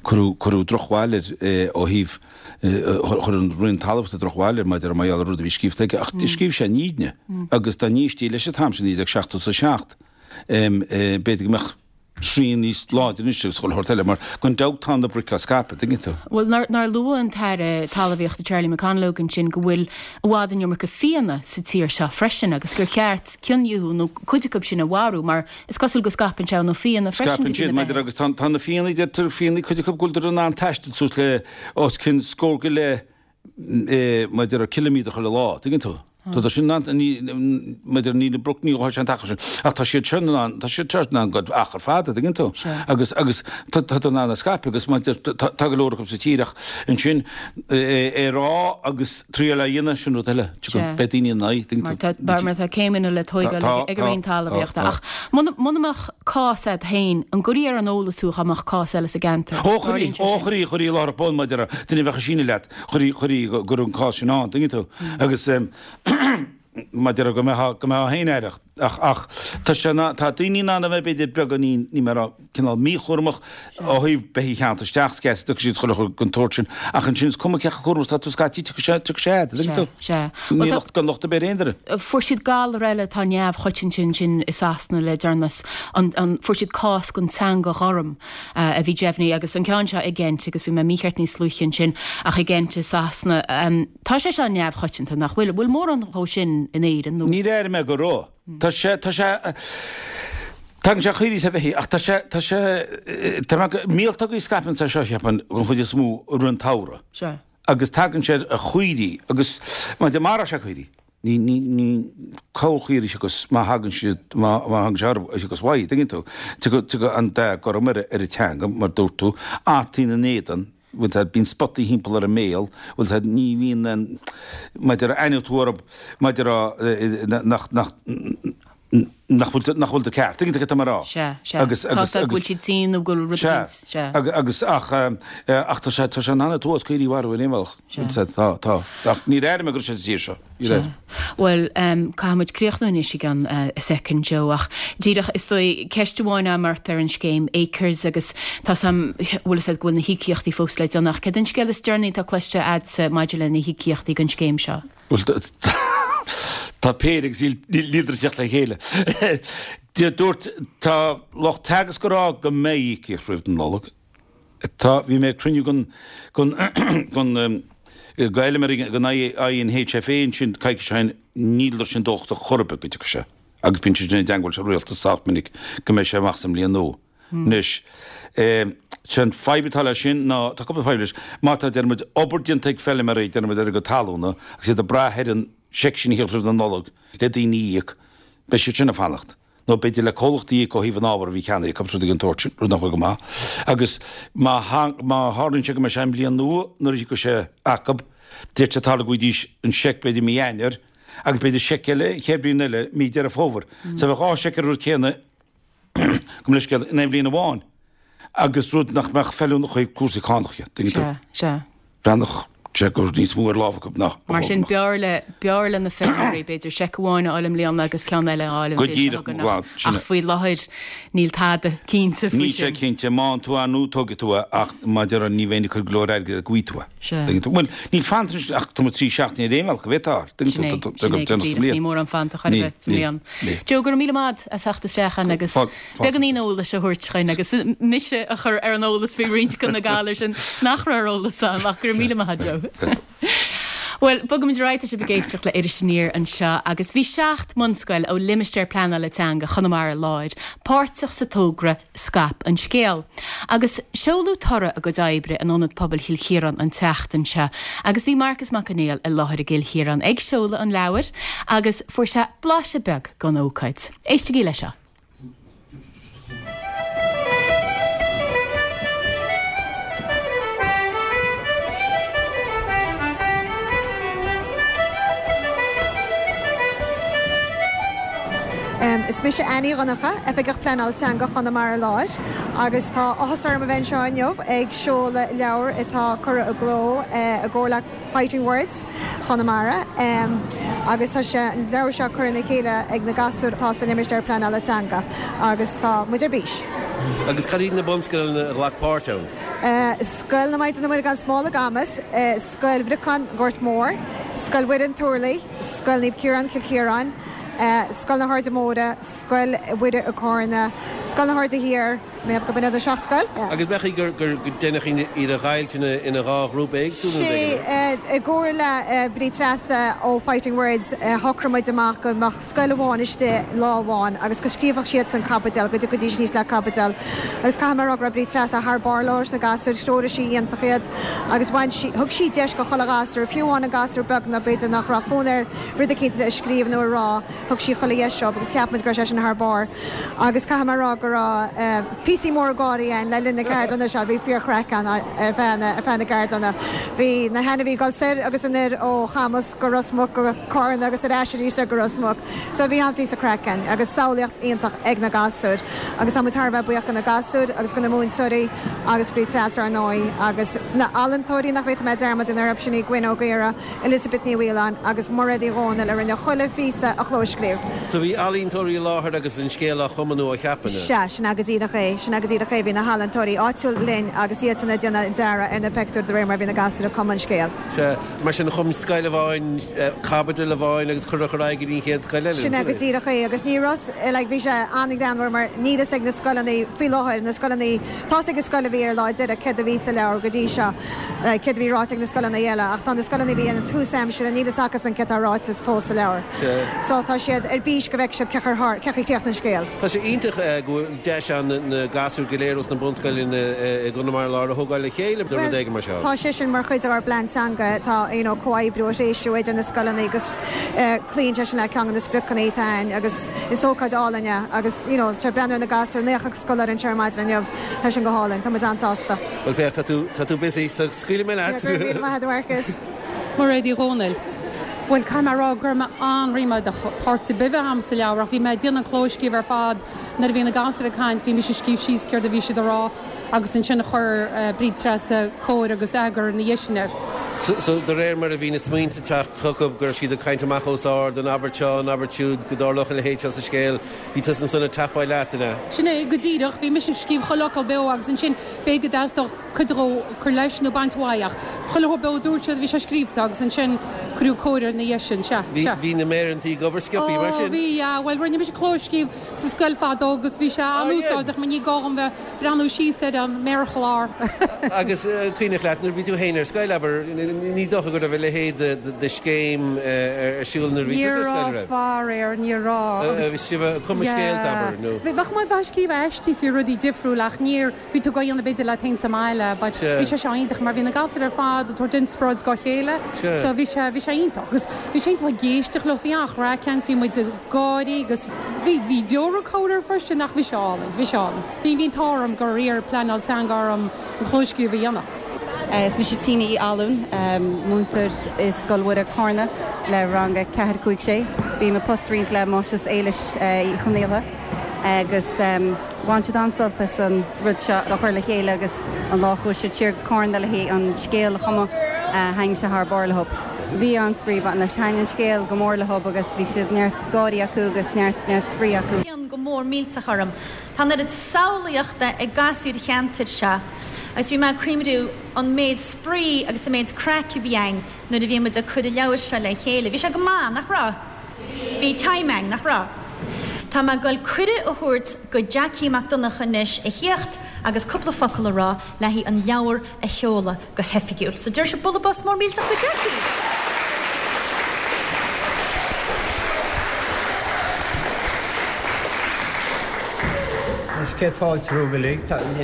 cuireadh cuireadh drochbhail air ó thaobh chuir an Roinn Talmhaíochta drochbhail air maidir mar gheall ar rud a bhí scríofa aige ach scríobh sé an fhírinne agus dá n-éistí leis an t-am sin 1977 b'fhéidir go mbeadh srian níos láidre anois agus chuile shórt eile mar gan dabht tá na broic á scaipeadh, tuigeann tú. Bhuel, nár, nár luaigh an tAire Talmhaíochta Charlie McConalogue ansin go bhfuil i bhfad an iomarca fianna sa tír seo freisin agus gur cheart cion díobh nó cuid acu sin a mharú mar is cosúil go scaipeann sé ó na fianna freisin go dtí Scaipeann na siad, maidir beithígh. agus tá, tá na fianna, deirtear fianna, cuid acu go bhfuiltear in ann taisteal suas le os cionn scór go leith mar a déarfá ciliméadar chuile lá, tuigeann tú? Tá sin in ann, mar a déarfá níl an broc, ní ghabhfaidh sé an t-achar sin, ach tá siad seo in ann, tá siad seo in ann goil achar fada, tuigeann tú? Agus, agus tá tá in ann a scaipeadh agus mar a déarfá tá tá go leor acu sa tír ach ansin é a rá agus triail a dhéanamh, sin rud eile, beidh daoine ina aghaidh, tuigeann tú? Mar tá, mar tá céimeanna le tóigeáil ag an Roinn Talmhaíochta ach muna, muna mbeadh cás a'd féin, an gcuirfí ar an eolas thú dá mbeadh cás eile sa gceantar? Ó, chuirfí, ó, chuirfí, chuirfí láithreach bonn mar a déarfá, duine a bheadh ag síneadh leat, chuirfí, chuirfí go raibh an cás sin ann, tuigeann tú? Agus mar a déarfá go mbeifeá, go mbeifeá féin aireach. Ach, ach, tá sé in ann, tá daoine in ann a bheith b'fhéidir beagáinín, níl mé ag rá, cineál míchúramach ó thaobh beithígh a cheannach isteach, scaití tiocfaidh siad chuile chor den tsórt sin, ach ansin is cuma cé chomh cúramach is atá tú scaití tiocfaidh sé, tiocfaidh sé a'd, an dtuigeann tú? Sea, sea. Níl locht, gan locht ar bith ar aon duine. Fuair siad galar eile atá neamhchoitianta ansin i Sasana le deireanas, an, an, fuair siad cás den teanga ghorm a bhí deimhnithe agus an ceann seo i gCent agus bhí mé mícheart níos luaithe ansin ach i gCent i Sasana. Tá sé seo neamhchoitianta, nach bhfuil? An bhfuil mórán dhó sin in Éirinn nó? Níor airigh mé go raibh. Tá sé, tá sé, tagann sé ar chaoirigh is ar bheithígh ach tá sé, tá sé, tá mé, míoltógaí a scaipeann sé seo, cheapfainn, den chuid is mó i rith an tsamhraidh. Sea. Agus tagann sé ar chaoirigh agus má mharóidh sé caoirigh, ní, ní, ní corrchaoirigh a thiocfas má thagann siad, má, má thagann sé orthu, a thiocfas uaidh, tuigeann tú. Tiocfaidh, tiocfaidh an dath gorm ar, ar an teanga, mar a dúirt tú, fataí ina n-éadan, bhfuil a fhios a'd, bíonn spotaí thimpeall ar an mbéal, bhfuil a fhios a'd, ní bhíonn an, maidir a aithneoidh tú orthu, maidir a, nach, nach, nach bhfuil, nach bhfuil tú ceart, tuigeann tú cad tá mé a rá? Sea, sea. Agus, agus, Tá, go bhfuil siad tinn nó go bhfuil rud Sea, éicint, sea. agus, ach, ach tá sé, tá sé in ann an t-uafás caoirigh a mharú ar aon bhealach, Sea. bhfuil a fhios a'd, tá, tá, ach níor airigh mé go raibh sé sa tír seo. Sea. Bhuel, caithfidh muid críochnú anois i gceann soicind, Joe, ach díreach, is dóigh, ceist amháin agam ort ar an scéim Acres agus tá 's a'm, bhfuil 'fhios a'd go bhfuil na híocaíochtaí fós le déanamh ach céard an scéal is deireanaí atá cloiste a'dsa maidir le na híocaíochtaí don scéim seo? Bhuel, tá péire agus níleadar ag teacht le chéile. Dúirt, tá lucht Teagasc ag rá go mbeidh íocaíocht roimh an Nollaig. Tá, bhí mé ag cruinniú den, den, den, d'fheilméaraí den INHFA ansin coicís ó shin, níleadar sin dóchasach chor ar bith go dtiocfaidh sé agus bíonn siad sin i dteangmháil leis an rialtas sách minic go mbeidh sé amach sa mbliain nua. Anois, sé an fadhb atá leis sin ná, tá cúpla fadhb leis, má tá, deir muid, obair déanta ag feilméaraí, deir muid, ar a gcuid talúna agus iad ag brath ar an seic sin a theacht roimh na Nollag le daoine a íoc, beidh siad sin ag fanacht. nó b'fhéidir le comhlachtaí a íoc ó thaobh an ábhair a bhí ceannaithe acu, rud den tsórt sin, rud nach bhfuil go maith. Agus má má tharlaíonn sé go mbeidh sé i mbliain nua nuair a thiocfaidh sé acu, d'fhéadfadh sé tarlú go bhfaighidís an seic b'fhéidir mí Eanáir agus b'fhéidir seic eile an chéad bhliain eile mí Deireadh Fómhair. So bheadh 2 seic ar an rud céanna, gabh mo leithscéal, in aon bhliain amháin agus rud nach mbeadh feiliúnach ó thaobh cúrsaí cánach dhe, tuigeann tú. Sea, sea. Breathnach sé go raibh níos mó ar lámh acu ná a Mar sin, b'fhearr le, b'fhearr le na feirmeoirí, b'fhéidir, seic amháin a fháil i mbliana agus ceann eile a fháil an Go bhliain seo díreach, chugainn bhuel, ach, sin ach é. faoi láthair níl tada cinnte faoi Níl sé sin. cinnte, má fhaigheann tú é nó tógfaidh tú é ach mar a déarfá ní bheinn ag cur go leor airgid go bhfaighidh tú é. Sea. Tuigeann tú? Bhuel, níl fanta anois ach tá muid 3 seachtaine ar aon bhealach go bhféadfá a fháil. Sin Tuigeann é, tú, tá sin go é go déanach sa díreach, mbliain. ní mórán fanta chor ar Níl, bith sa níl, mbliain. níl. Joe, go raibh míle maith agat as theacht isteach chugainn agus beagáinín eolais a thabhairt chugainn agus mise a chur ar an eolas faoi roinnt de na galair sin nach raibh ar eolas agam ach go raibh míle maith agat Joe. Bhuel, bogaimid ar aghaidh, tá sibh ag éisteacht le Iris Aniar anseo agus bhí 7 mbunscoil ó Limistéar Pleanála Teanga Chonamara Láir páirteach sa togra Scaip an Scéal. Agus seoladh toradh a gcuid oibre in Ionad Pobail Chill Chiaráin an tseachtain seo agus bhí Marcas Mac Conghail i láthair i gCill Chiaráin ag seoladh an leabhair agus fuair sé blaiseadh beag den ócáid. Éistigí leis seo. Is mise Annie Dhonncha, Oifigeach Pleanála Teanga Chonamara Láir, agus tá áthas orm a bheith anseo inniu ag seoladh leabhar atá curtha i gcló i gcomhar le Fighting Words Chonamara agus tá sé an leabhar seo curtha ina chéile ag na gasúir atá sa Limistéar Pleanála Teanga agus tá muid ar bís. Agus cad iad na bunscoileanna a ghlac páirt ann? Scoil na Maighdine Muire gan Smál i gCamus, Scoil Bhriocáin Gort Mór, Scoil Mhuire an Turlaigh, Scoil Naomh Ciarán Cill Chiaráin, Scoil na hAirde Móire, Scoil Mhuire i gCárna, Scoil na hAirde Thiar, Mé go b'in iad na seacht scoil. Agus b'ea gur deineadh iad a dheighilt ina dhá ghrúpa éagsúla nó Sé, i gcomhar le Bríd Treasa ó Fighting Words, shocraigh muid amach go mbeadh scoil amháin istigh lá amháin agus go scríobfadh siadsan caibidil, go dtiocfaidís aníos le caibidil. Agus caithfidh mé a rá go raibh Bríd Treasa thar barr leis na gasúir, threoraigh sí iontach iad agus bhain sí, thug sí deis go chuile ghasúr, fiú amháin an gasúr beag nó b'fhéidir nach raibh fonn air rud eicínt a scríobh nó a rá, thug sí chuile dheis dóibh agus cheap muid go raibh sé sin thar barr. Agus caithfidh mé a rá go raibh píosaí móra gáirí ann le linn na gceardlanna seo, bhí fíorchraic ann ar feadh na, ar feadh na gceardlanna. Bhí na hainmhithe ag dul soir agus anoir ó Chamus go Ros Muc go Cárna agus ar ais arís go Ros Muc. So bhí an-phíosa craic ann agus samhlaíocht iontach ag na gasúir. Agus tá muid thar a bheith buíoch go na gasúir agus go na múinteoirí agus Bríd Treasa ar ndóigh agus. Na healaíontóirí nach bhféadfaidh mé dearmad a dhéanamh orthu sin í Gwen Ó Gaora, Elizabeth Ní Mhaoláin agus Mairéad Uí Dhomhnaill a rinne chuile phíosa a chlóscríobh. So bhí ealaíontóirí i láthair agus an scéal á chumadh nó á cheapadh, nó? Sea, sin é go díreach é, sin é go díreach é. Bhí na healaíontóirí áitiúil linn agus iadsan ag déanamh dearadh ar na peictiúir de réir mar a bhí na gasúir ag cumadh an scéil. Sea, mar sin chum scoil amháin caibidil amháin agus cuireadh ar aghaidh go dtí an chéad scoil eile. Sin é go díreach é agus ní raibh, like, bhí sé an-ghreannmhar mar níl fhios ag na scoileanna faoi láthair, na scoileanna, tá's ag an scoil a bhí ar an lá deiridh céard a bhí sa leabhar go dtí seo, like, céard a bhí ráite ag na scoileanna eile ach tá na scoileanna a bhí ar an tús aimsire, níl fhios acusan céard atá ráite fós sa leabhar. So tá siad ar bís go bhfeicfidh siad cén chaoi a chríochnaíonn an scéal. Tá sé iontach go bhfuil deis ann na gasúir go léir ós na bunscoileanna i gConamara Láir a thógáil le chéile do rud éigin mar seo. Tá sé sin mar chuid dár bplean teanga, tá you know comhoibriú a threisiú idir na scoileanna agus cloíonn sé sin le ceann de na spriocanna atá againn agus is ócáid álainn é agus you know tá breathnú ar na gasúir, 90 scoláire anseo ar maidin inniu, tá sin go hálainn, tá muid an-sásta. Bhuel féach, tá tú, tá tú busy so scaoilfidh mé leat. Go raibh míle maith agat a Mharcus. Mairéad Uí Dhomhnaill, Bhuel, caithfidh mé a rá go raibh mé an-ríméadach páirt ar bith a bheith agam sa leabhar ach bhí mé ag déanamh an clóscríobh ar fad nuair a bhí na gasúir ag caint, bhí mise ag scríobh síos céard a bhí siad a rá agus ansin chuir Bríd Treasa cóir agus eagar ina dhiaidh sin air. So, de réir mar a bhí na smaointe ag teacht chucu, go raibh siad ag caint amach os ard, an abairt seo, an abairt siúd, go dtarlódh a leithéid seo sa scéal, bhí tusa ansan ag tapáil leat, an ea? Sin é go díreach, bhí mise ag scríobh chuile fhocal beo agus ansin b'fhéidir go dteastódh cuid dhó cur leis nó baint uaidh ach chuile shórt beo a dúirt siad, bhí sé scríobhta agus ansin cuireadh cóir air ina dhiaidh sin, sea, sea. Bhí na méireantaí ag obair sciobthaí mar sin? Ó, bhí, yeah, bhuel rinne mise clóscríobh sa scoil fadó agus bhí sé an-úsáideach mar ní gá dhom bheith breathnú síos ar an méarchlár. Agus cuimhneach leat nuair a bhí tú féin ar scoil, abair, ní dócha go raibh a leithéid de scéim ar siúl nuair a bhí tusa ar scoil, an raibh? Ní raibh, faraor, ní raibh. Agus. Bhí sibh ag cumadh scéalta, abair, nó? Bheadh muid ag scríobh aistí faoi rudaí difriúla ach níor, bhí tú ag déanamh b'fhéidir leat féin sa mbaile but bhí sé seo iontach mar bhí na gasúir ar fad ag tabhairt inspioráid dá chéile so bhí sé, bhí sé iontach. Agus bhí sé iontach ag éisteacht leo, bhí an-chraic ann, bhí muid ag gáirí agus bhí, bhí deora ag cabhair freisin ach bhí sé álainn, bhí sé álainn. Bhí, bhí an t-ádh orm gur iarr pleanáil teanga orm an clóscríobh a dhéanamh. Is mise Tina Uí Fhallúin, múinteoir i Scoil Mhuire, Cárna le rang a 4, 5, 6. Bím ag post-roinnt le Máistreás Éilis Uí Chonaola agus bhain siad an-sult as an rud seo a chur le chéile agus an lá a chuaigh siad siar go Cárna le haghaidh an scéal a chumadh, thaitnigh sé thar barr leo. Bhí an-spraoi ag baint leis. Thaitnigh an scéal go mór leo agus bhí siad neart gáirí acu agus neart, neart spraoi acu. cion go mór millteach orm. Tá an oiread samhlaíochta ag gasúir an cheantair seo agus bhí mé ag cuimhniú an méid spraoi agus an méid craic a bhí againn nuair a bhí muid ag cur an leabhair seo le chéile. Bhí sé go maith, nach raibh? Bhí time againn, nach raibh? Tá mé ag goil cuireadh a thabhairt go Jackie Mac Donncha anois a thíocht agus cúpla focal a rá le haghaidh an leabhar a sheoladh go hoifigiúil. So deir sibh bualadh bos mór millteach go Jackie! Anois, céad fáilte romhaibh uilig.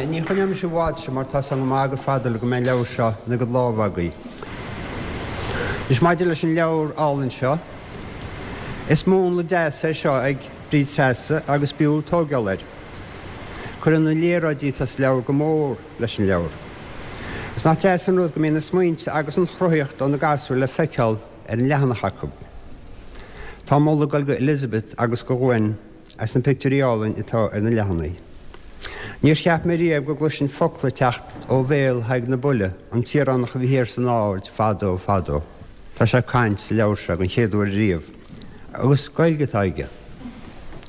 Ní choinneoidh mise i bhfad sibh mar tá's agam go maith gur fada le go mbeidh an leabhar seo ina gcuid lámha agaibh. Anois, maidir leis an leabhar álainn seo, is múnla deas é seo ag Bríd Treasa agus b'fhiú tóigeáil air. Cuireann na léaráidí atá sa leabhar go mór leis an leabhar. Is nach deas an rud go mbíonn na smaointe agus an chruthaíocht ó na gasúir le feiceáil ar an leathanach acu. Tá moladh ag dul go Elizabeth agus go Gwen as na pictiúirí álainn atá ar na leathanaigh. Níor cheap mé riamh go gcloisfinn focla ag teacht ó bhéal Thadhg na Buille, an tíoránach a bhí thiar san Aird fadó fadó. Tá sé ag caint sa leabhar seo den chéad uair riamh. Agus Gaeilge atá aige.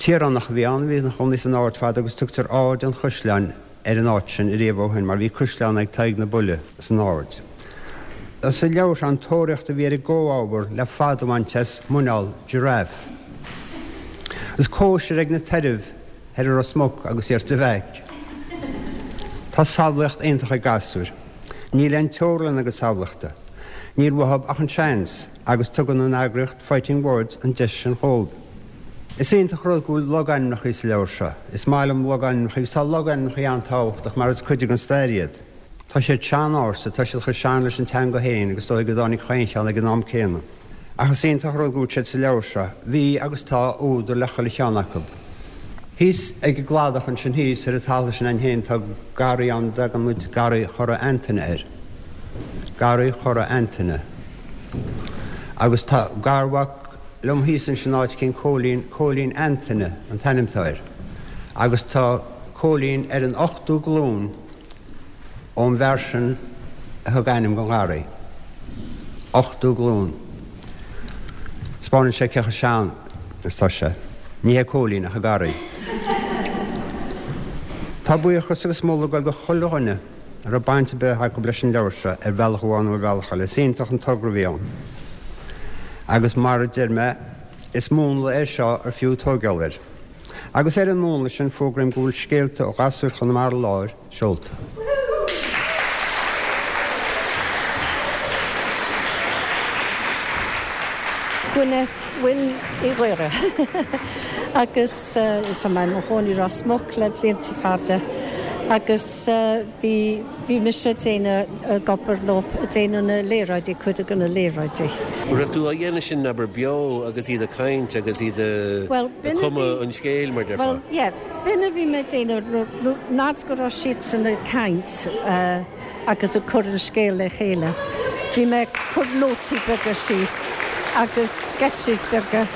Tíoránach a bhí ann a bhí ina chónaí san Aird fadó agus tugtar Aird an Chaisleáin ar an áit sin ariamh ó shin mar bhí caisleán ag Tadhg na Buille san Aird. Sa leabhar seo an tóraíocht a bhí ar an gcomhábhar le fad a bhaint as muineál giraffe. Agus cóisir ag na tairbh thoir i Ros Muc agus thiar sa Mheaic. Tá samhlaíocht iontach ag gasúir. Níl aon teorainn lena gcuid samhlaíochta. Níl uathub ach an seans agus tugann an eagraíocht Fighting Words an deis sin dhóibh. Is iontach rud go bhfuil logainmneacha sa leabhar seo. Is maith liom logainmneacha agus tá logainmneacha an-tábhachtach mar is cuid den stair iad. Tá siad sean-ársa, tá siad chomh sean leis an teanga féin agus is dóigh go dtáinig chaon cheann ag an am céanna. Ach is iontach rud go bhfuil siad sa leabhar seo. Bhí agus tá údar le chuile cheann acu. Thíos ag an gcladach ansin thíos ar an talamh sin againn féin tá garraí ann a dtagann muid Garraí Chora Antaine air. Garraí Chora Antaine. Agus tá garmhac liom thíos ansin áit eicínt Cóilín, Cóilín Antaine an t-ainm atá air. Agus tá Cóilín ar an ochtú glúin ón bhfear sin. a thug ainm don gharraí. Ochtú glún. Spáineann sé cé chomh sean is tá sé. Ní hé Cóilín ach an garraí. Tá buíochas agus moladh ag dul go chuile dhuine a raibh baint ar bith acu leis an leabhar seo ar bhealach amháin nó ar bhealach eile. Is iontach an togra a bhí ann. Agus mar a deir mé, is múnla é seo ar fiú tóigeáil air. Agus ar an múnla sin fógraím go bhfuil Scéalta ó Ghasúir Chonamara Láir seolta. Gwyneth Wyn Uí Ghaora agus tá mé i mo chónaí i Ros Muc le blianta fada agus bhí bhí mise ag déanamh ag obair leo ag déanamh na léaráidí cuid de na léaráidí. An raibh tú á dhéanamh sin abair beo agus iad ag caint agus iad ag cumadh an scéil mar déarfá? Bhuel yeah b'in a bhí mé ag déanamh nuair go raibh siadsan ag caint agus ag cur an scéal le chéile. Bhí mé ag cur nótaí beaga síos agus sketches beaga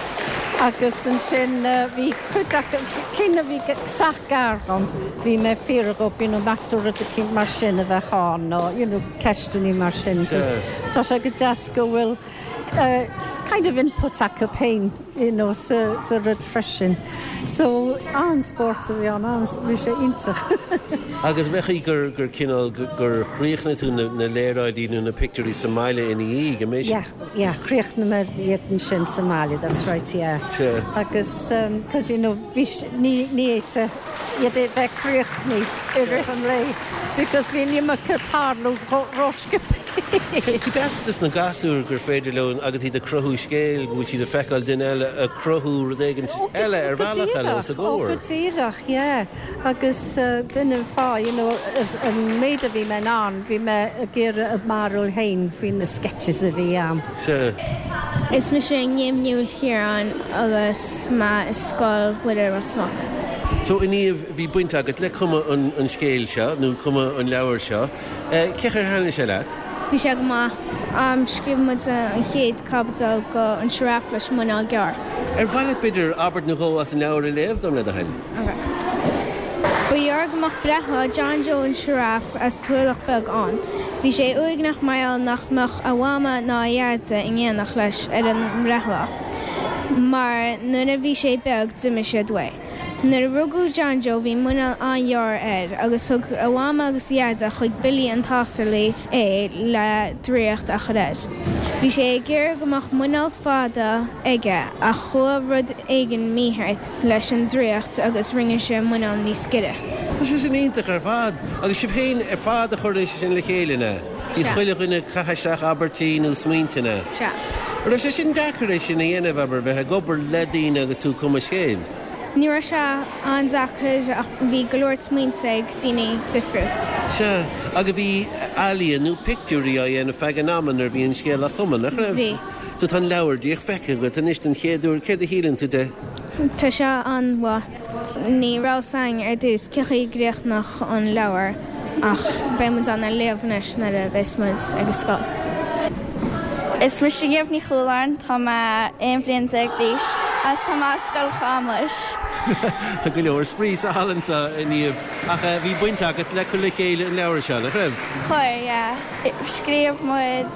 agus ansin bhí cuid acu, cinn a bhí sách gar dhom, bhí mé ag fiafraí dhóibh, you know, meas tú rud eicínt mar sin a bheadh ann nó, you know, ceisteanna mar sin 'cause tá sé go deas go bhfuil kind of input acu féin, you know, sa, sa rud freisin. So, an-spórt a bhí ann, an, bhí sé iontach. Agus an é gur, gur cineál, gur chríochnaigh tú na, na léaráidí nó na pictiúirí sa mbaile ina dhiaidh, an é sin? Yeah, yeah, chríochnaigh mé iad ansin sa mbaile, that's right, yeah. Sea. Agus, 'cause you know, bhí, ní, ní fhéadfá iad a bheith críochnaithe i rith an lae because bhí an iomarca ag tarlú ró-sciobtha. Go deas dos na gasúir gur féidir leo agus iad ag cruthú scéil go bhfuil siad ag feiceáil duine eile ag cruthú rud éigin eile ar bhealach eile os a gcomhair. Ó go díreach, yeah. Agus b'in an fáth, you know, an méid a bhí mé in ann, bhí mé ag iarraidh a mbarúil féin faoi na sketches a bhí ann. Sea. Is mise Niamh Ní Chiaráin agus mé i Scoil Mhuire Ros Muc. So, a Niamh, bhí baint agat le cumadh an scéil seo, nó cumadh an leabhair seo. Cén chaoi ar thaitnigh sé leat? Bhí sé go maith. Scríobh muid an chéad caibidil go An Sioráf leis an Muineál Gearr. Ar mhaith leat b'fhéidir abairt nó dhó as an leabhar a léamh dom le do thoil? Ok. Ba ghearr go mbeadh breithlá John Joe an tSioráif as Tulach Bheag ann. Bhí sé uaigneach mar gheall nach mbeadh a mhama ná a dheaide in éineacht leis ar an mbreithlá, mar nuair a bhí sé beag d'imigh siad uaidh. Nuair a rugadh John Joe bhí muineál an-ghearr air agus thug a mhama agus a dheaide chuig Billy an tSásarlaí é le draíocht a chur air. Bhí sé ag iarraidh go mbeadh muineál fada aige ach chuaigh rud éigin mícheart leis an draíocht agus rinne sé a muineál níos giorra. Tá sé sin iontach ar fad! Agus sibh féin ar fad a chuir é sin le chéile, an ea? Bhí chuile dhuine ag caitheamh isteach abairtí nó smaointe, an ea? Sea. An raibh sé sin deacair é sin a dhéanamh, abair, bheith ag obair le daoine agus tú ag cumadh scéil? Ní raibh sé an-deacair ach bhí go leor smaointe ag daoine difriúil. Sea, agus bhí ealaíon nó pictiúirí á dhéanamh feadh an ama nuair a bhí an scéal á chumadh, nach raibh? Bhí. So tá an leabhar díreach feicthe agat anois den chéad uair, céard a shíleann tú de? Tá sé an-mhaith. Ní raibh 's a'inn ar dtús cén chaoi a gcríochnódh an leabhar ach beidh muid in ann é a léamh anois nuair a bheas muid ag an scoil. Is mise Niamh Ní Chualáin, tá mé 11 bhliain d'aois agus tá mé i Scoil Chamuis. Tá go leor spraoi sa halla anseo, a Niamh, ach bhí baint agat le cur le chéile an leabhair seo, nach raibh? Chuir, yeah. Scríobh muid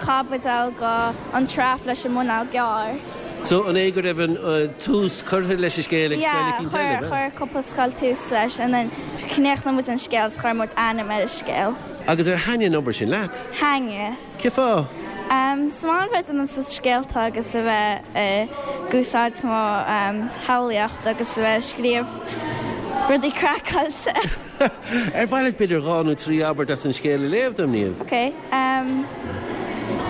caibidil go An tSioráf leis an Muineál Gearr. So, an é go raibh an tús curtha leis an scéal ag scoil eicínt eile, ab ea? Yeah, chuir cúpla scoil tús leis and then chríochnaigh muid an scéal is chuir muid ainm ar an scéal. Agus ar thaitnigh an obair sin leat? Thaitnigh. Cén fáth? Is maith liom bheith ag déanamh suas scéalta agus a bheith ag úsáid mo shamhlaíocht agus a bheith ag scríobh rudaí craiceáilte. Ar mhaith leat b'fhéidir dhá nó trí abairt as an scéal a léamh dom, Niamh? Ok.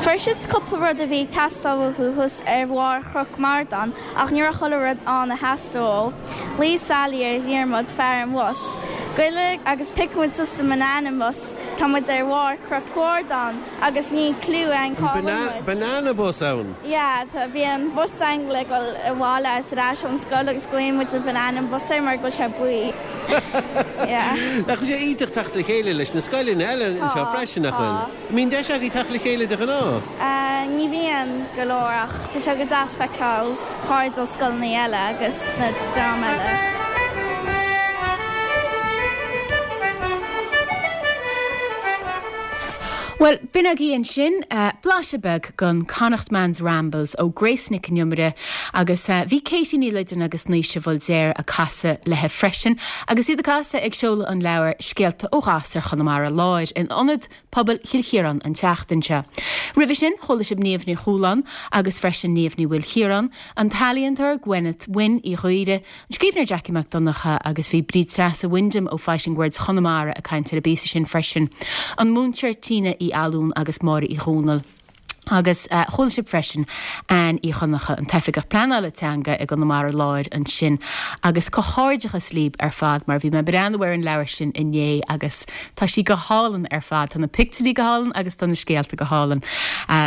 Fuair siad cúpla rud a bhí ag teastáil uathu thuas ar bharr Chnoc Mardan ach ní raibh chuile rud ann a theastaigh uathu. Ghlaoigh Sally ar Dhiarmaid, fear an bhus. Goille agus pioc muid suas sa mbanana bus, tá muid ar bharr Chnoc Mhardan agus níl cliú againn cá bhfuil muid. Banana bus ann? Yeah, tá, bíonn bus againn le dhul abhaile agus ar ais ón scoil agus glaonn muid an banana bus air mar go bhfuil sé buí. Yeah. Nach bhfuil sé iontach teacht le chéile leis na scoileanna eile anseo freisin, nach bhfuil? Tá. An mbíonn deis agaibh teacht le chéile de ghnáth? Ní bhíonn go leor ach tá sé go deas feiceáil cairde ó scoileanna eile agus na dream eile. Bhuel, b'in agaibh ansin blaiseadh beag den Connachtman's Rambles ó Grace Nic an Iomaire agus bhí Katie Ní Loideáin agus Naoise Bhuldair ag casadh léi freisin agus iad ag casadh ag seoladh an leabhair Scéalta ó Ghasúir Chonamara Láir in Ionad Pobail Chill Chiaráin an tseachtain seo. Roimhe sin, chuala sibh Niamh Ní Chualáin agus freisin Niamh Ní Mhaoilchiaráin, an t-ealaíontóir Gwyneth Wynne Uí Ghaora, An scríbhneoir Jackie Mac Donncha agus bhí Bríd Treasa Wyndham ó Fighting Words Chonamara ag caint ar an bpíosa sin freisin. An múinteoir Tina Uí Fhallúin agus Máire Uí Dhomhnaill. Agus chuala sibh freisin Anne Uí Dhonncha, an tOifigeach Pleanála Teanga i gConamara Láir ansin. Agus comhghairdeachas libh ar fad mar bhí mé ag breathnú ar an leabhar sin inné agus tá sí go hálainn ar fad. Tá na pictiúirí go hálainn agus tá na scéalta go hálainn.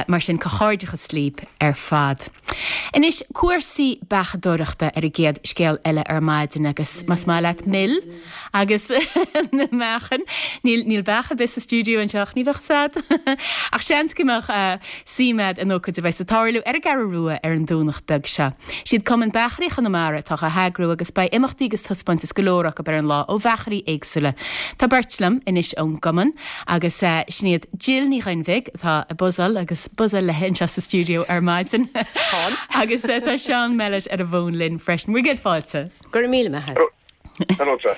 Mar sin comhghairdeachas libh ar fad. Anois, cúrsaí beachadóireachta ar an gcéad scéal eile ar maidin agus más maith leat mil agus na meáchain, níl, níl beach ar bith sa stiúideo anseo ach ní bheadh fhios a'd. Ach seans go mbeadh suim a'd in ócáid a bheas ag tarlú ar an gCeathrú Rua ar an Domhnach beag seo. Siad Cumann Beachairí Chonamara atá á heagrú agus beidh imeachtaí agus taispeántais go leor acu ar an lá ó bheachairí éagsúla. Tá beirt liom anois ón gcumann. Agus sin iad Jill Ní Dhuinnbhigh, atá ag buzzáil agus buzzáil léi anseo sa stiúideo ar maidin. Agus tá Seán Mellett ar an bhfón linn freisin. Bhur gcéad fáilte. Go raibh míle maith agat. Hello, Treasa.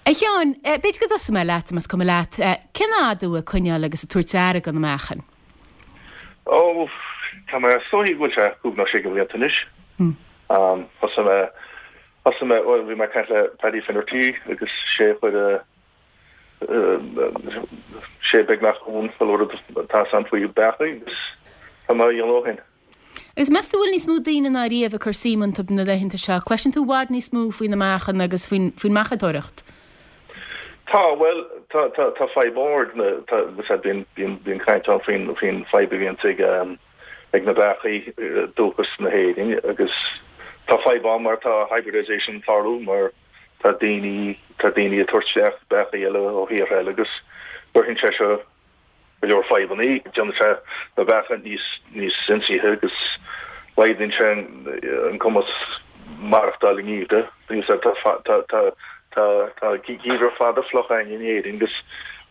A Sheáin, b'fhéidir go dtosóidh mé leat, más cuma leat. Cén fhad thú ag coinneáil agus ag tabhairt aire do na meáchain? Ó, tá mé, is dóichí go bhfuil sé cúig nó sé de bhlianta anois. Thosaigh mé, thosaigh mé, bhuel, bhí mé ag caint le Paddy Finnerty agus sé a chuir sé beagnach an chuile rud atá ann faoi beacha agus tá mé á dhéanamh ó shin. Agus meas tú an bhfuil níos mó daoine ná riamh ag cur suim iontu na laethanta seo? Cloiseann tú i bhfad níos mó faoi na meáchain agus faoin mbeachadóireacht? Tá, bhuel, tá, tá, tá fadhb mhór ag na, tá, bíonn, bíonn, bíonn caint ann faoin, faoin fadhb a bhíonns ag, ag na beachaí dúchas na hÉireann agus tá fadhb ann mar tá hybridization ag tarlú mar Tá daoine, tá daoine ag tabhairt isteach beachaí eile ó thíortha eile agus cuireann sé seo go leor fadhbanna. Déanann sé na beacha níos, níos ionsaithe agus laghdaíonn sé an cumas maireachtáil i ngeimhreadh. Tá, tá, tá, tá, tá geimhreadh fada fliuch againn in Éirinn agus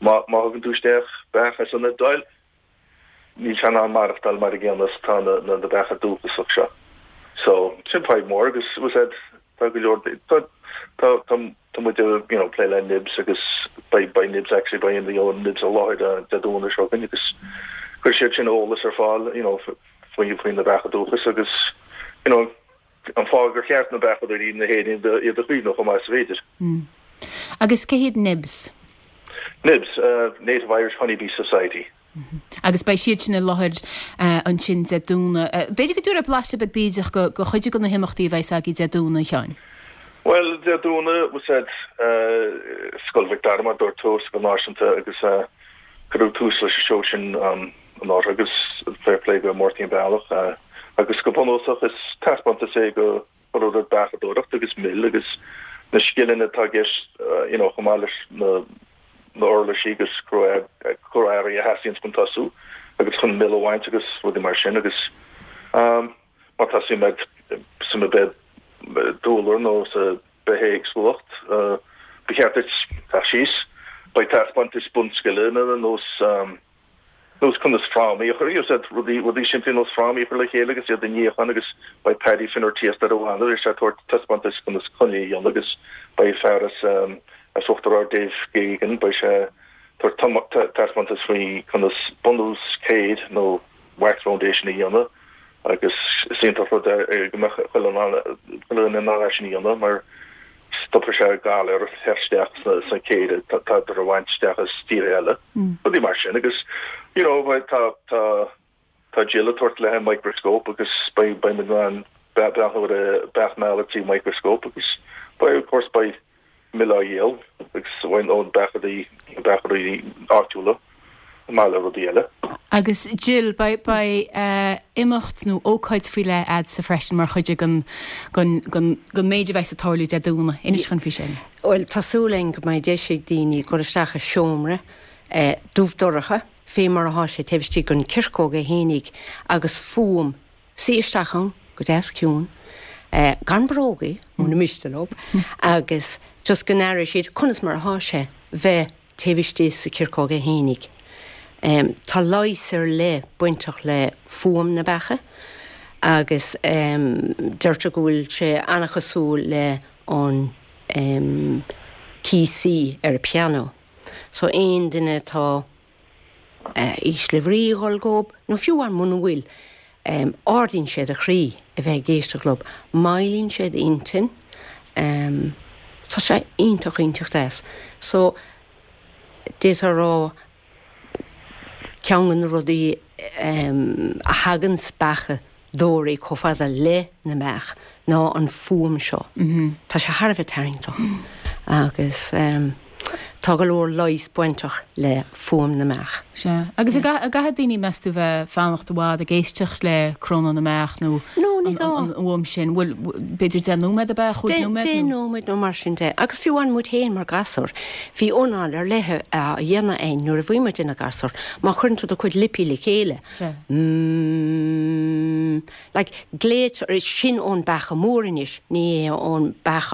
má, má thugann tú isteach beach as an Iodáil, Níl sé in ann maireachtáil mar a gcéanna is atá na beacha dúchasach seo. So, sin fadhb mór agus was that tá go leor tá tá tá tá muid ag you know plé le NIBS agus beidh beidh NIBS actually beidh you know NIBS i láthair Dé Domhnaigh seo chugainn agus cuirfidh siad sin eolas ar fáil you know faoi faoi na beacha dúchas agus you know an fáth gur cheart na beachadóirí na hÉireann iad a chaomhnú chomh maith is féidir. Agus cé hiad NIBS? NIBS, Native Irish Honey Bee Society. Agus beidh siad sin i láthair ansin Dé Domhnaigh. B'fhéidir go dtabharfá blaiseadh beag bídeach de chuid de na himeachtaí a bheas agaibh Dé Domhnaigh, a Sheáin. Bhuel, Dé Domhnaigh, was said, Scoil Mhic Dara, mar a dúirt tú, Scoil Náisiúnta agus cuireadh tús leis an seó sin anuraidh agus fair play go Máirtín Bealach agus go bunúsach is taispeántas é go rud beachadóireacht agus mil agus na scileanna atá i gceist you know chomh maith leis na na uirlisí agus cró-earraí a theastaíonn chun tosú agus chun mil a bhaint agus rudaí mar sin agus má tá suim agat sa dúlra nó sa bithéagsúlacht ba cheart duit teacht síos. Beidh taispeántas bunscileanna ar nós nós conas frámaí a chur, you know, rudaí, rudaí simplí nós frámaí a chur le chéile agus iad a níochán agus beidh Paddy Finnerty as Doire Bhanna, beidh sé ag tabhairt taispeántas conas coinnle a dhéanamh agus beidh fear as as Uachtar Ard Dave Geoghegan, beidh sé ag tabhairt taispeántas faoi conas bunús céir nó wax foundation a dhéanamh agus is iontach rud é go mbeadh chuile dhuine in ann é sin a dhéanamh mar stopfaidh sé galair ag teacht isteach sna céir atá á bhaint isteach as tíortha eile, rudaí mar sin agus you know tá tá tá Jill ag tabhairt léi microscope agus beidh beidh muid in ann breathnú ar beach meala trí microscope agus beidh of course beidh mil á dhíol agus ó na beachairí, na beachairí áitiúla, chomh maith le rudaí eile. Agus Jill, beidh, beidh imeacht nó ócáid faoi leith a'dsa freisin mar chuid den, den, den, den méid a bheas ag tarlú Dé Domhnaigh. Inis dhúinn faoi sin. Bhuel, tá súil againn go mbeidh deis ag daoine dul isteach i seomra dubh dorcha, fé mar athá sé taobh istigh den chirceog é fhéinig, agus fuaim Suí isteach ann go deas ciúin, gan brógaí, muna miste leo, agus just go n-aireoidh siad conas mar athá sé bheith taobh istigh sa chirceog é fhéinig. Tá leigheas ar leith bainteach le fuaim na beacha agus deirtear go bhfuil sé an-chosúil le an key C ar an pianó. So aon duine atá ísle bhrí ag dhul dhób, nó fiú amháin muna bhfuil, ardaíonn sé do chroí a bheith ag éisteacht leob, moillíonn sé d'intinn, tá sé iontach iontach deas. So, d'fhéadfá a rá, ceann de na rudaí a thaganns beachadóirí chomh fada le na mbeach ná an fuaim seo. Tá sé thar a bheith tarraingteach agus tá go leor leighis bainteach le fuaim na mbeach. Sea. Agus an gcaithfidh daoine, meas tú, bheith fanacht i bhfad ag éisteacht le crónán na mbeach nó an fhuaim sin? Bhfuil, b'fhéidir 10 nóiméad ab ea, 5 nóiméad? 10 nóiméad nó mar sin de. Agus fiú amháin muid féin mar ghasúir, bhí anáil ar leith á dhéanamh againn nuair a bhí muid ina gasúir. Má chuireann tú do chuid lipí le chéile, mm, like, glaoitear, sin ón beacha mór anois, ní hé ón beach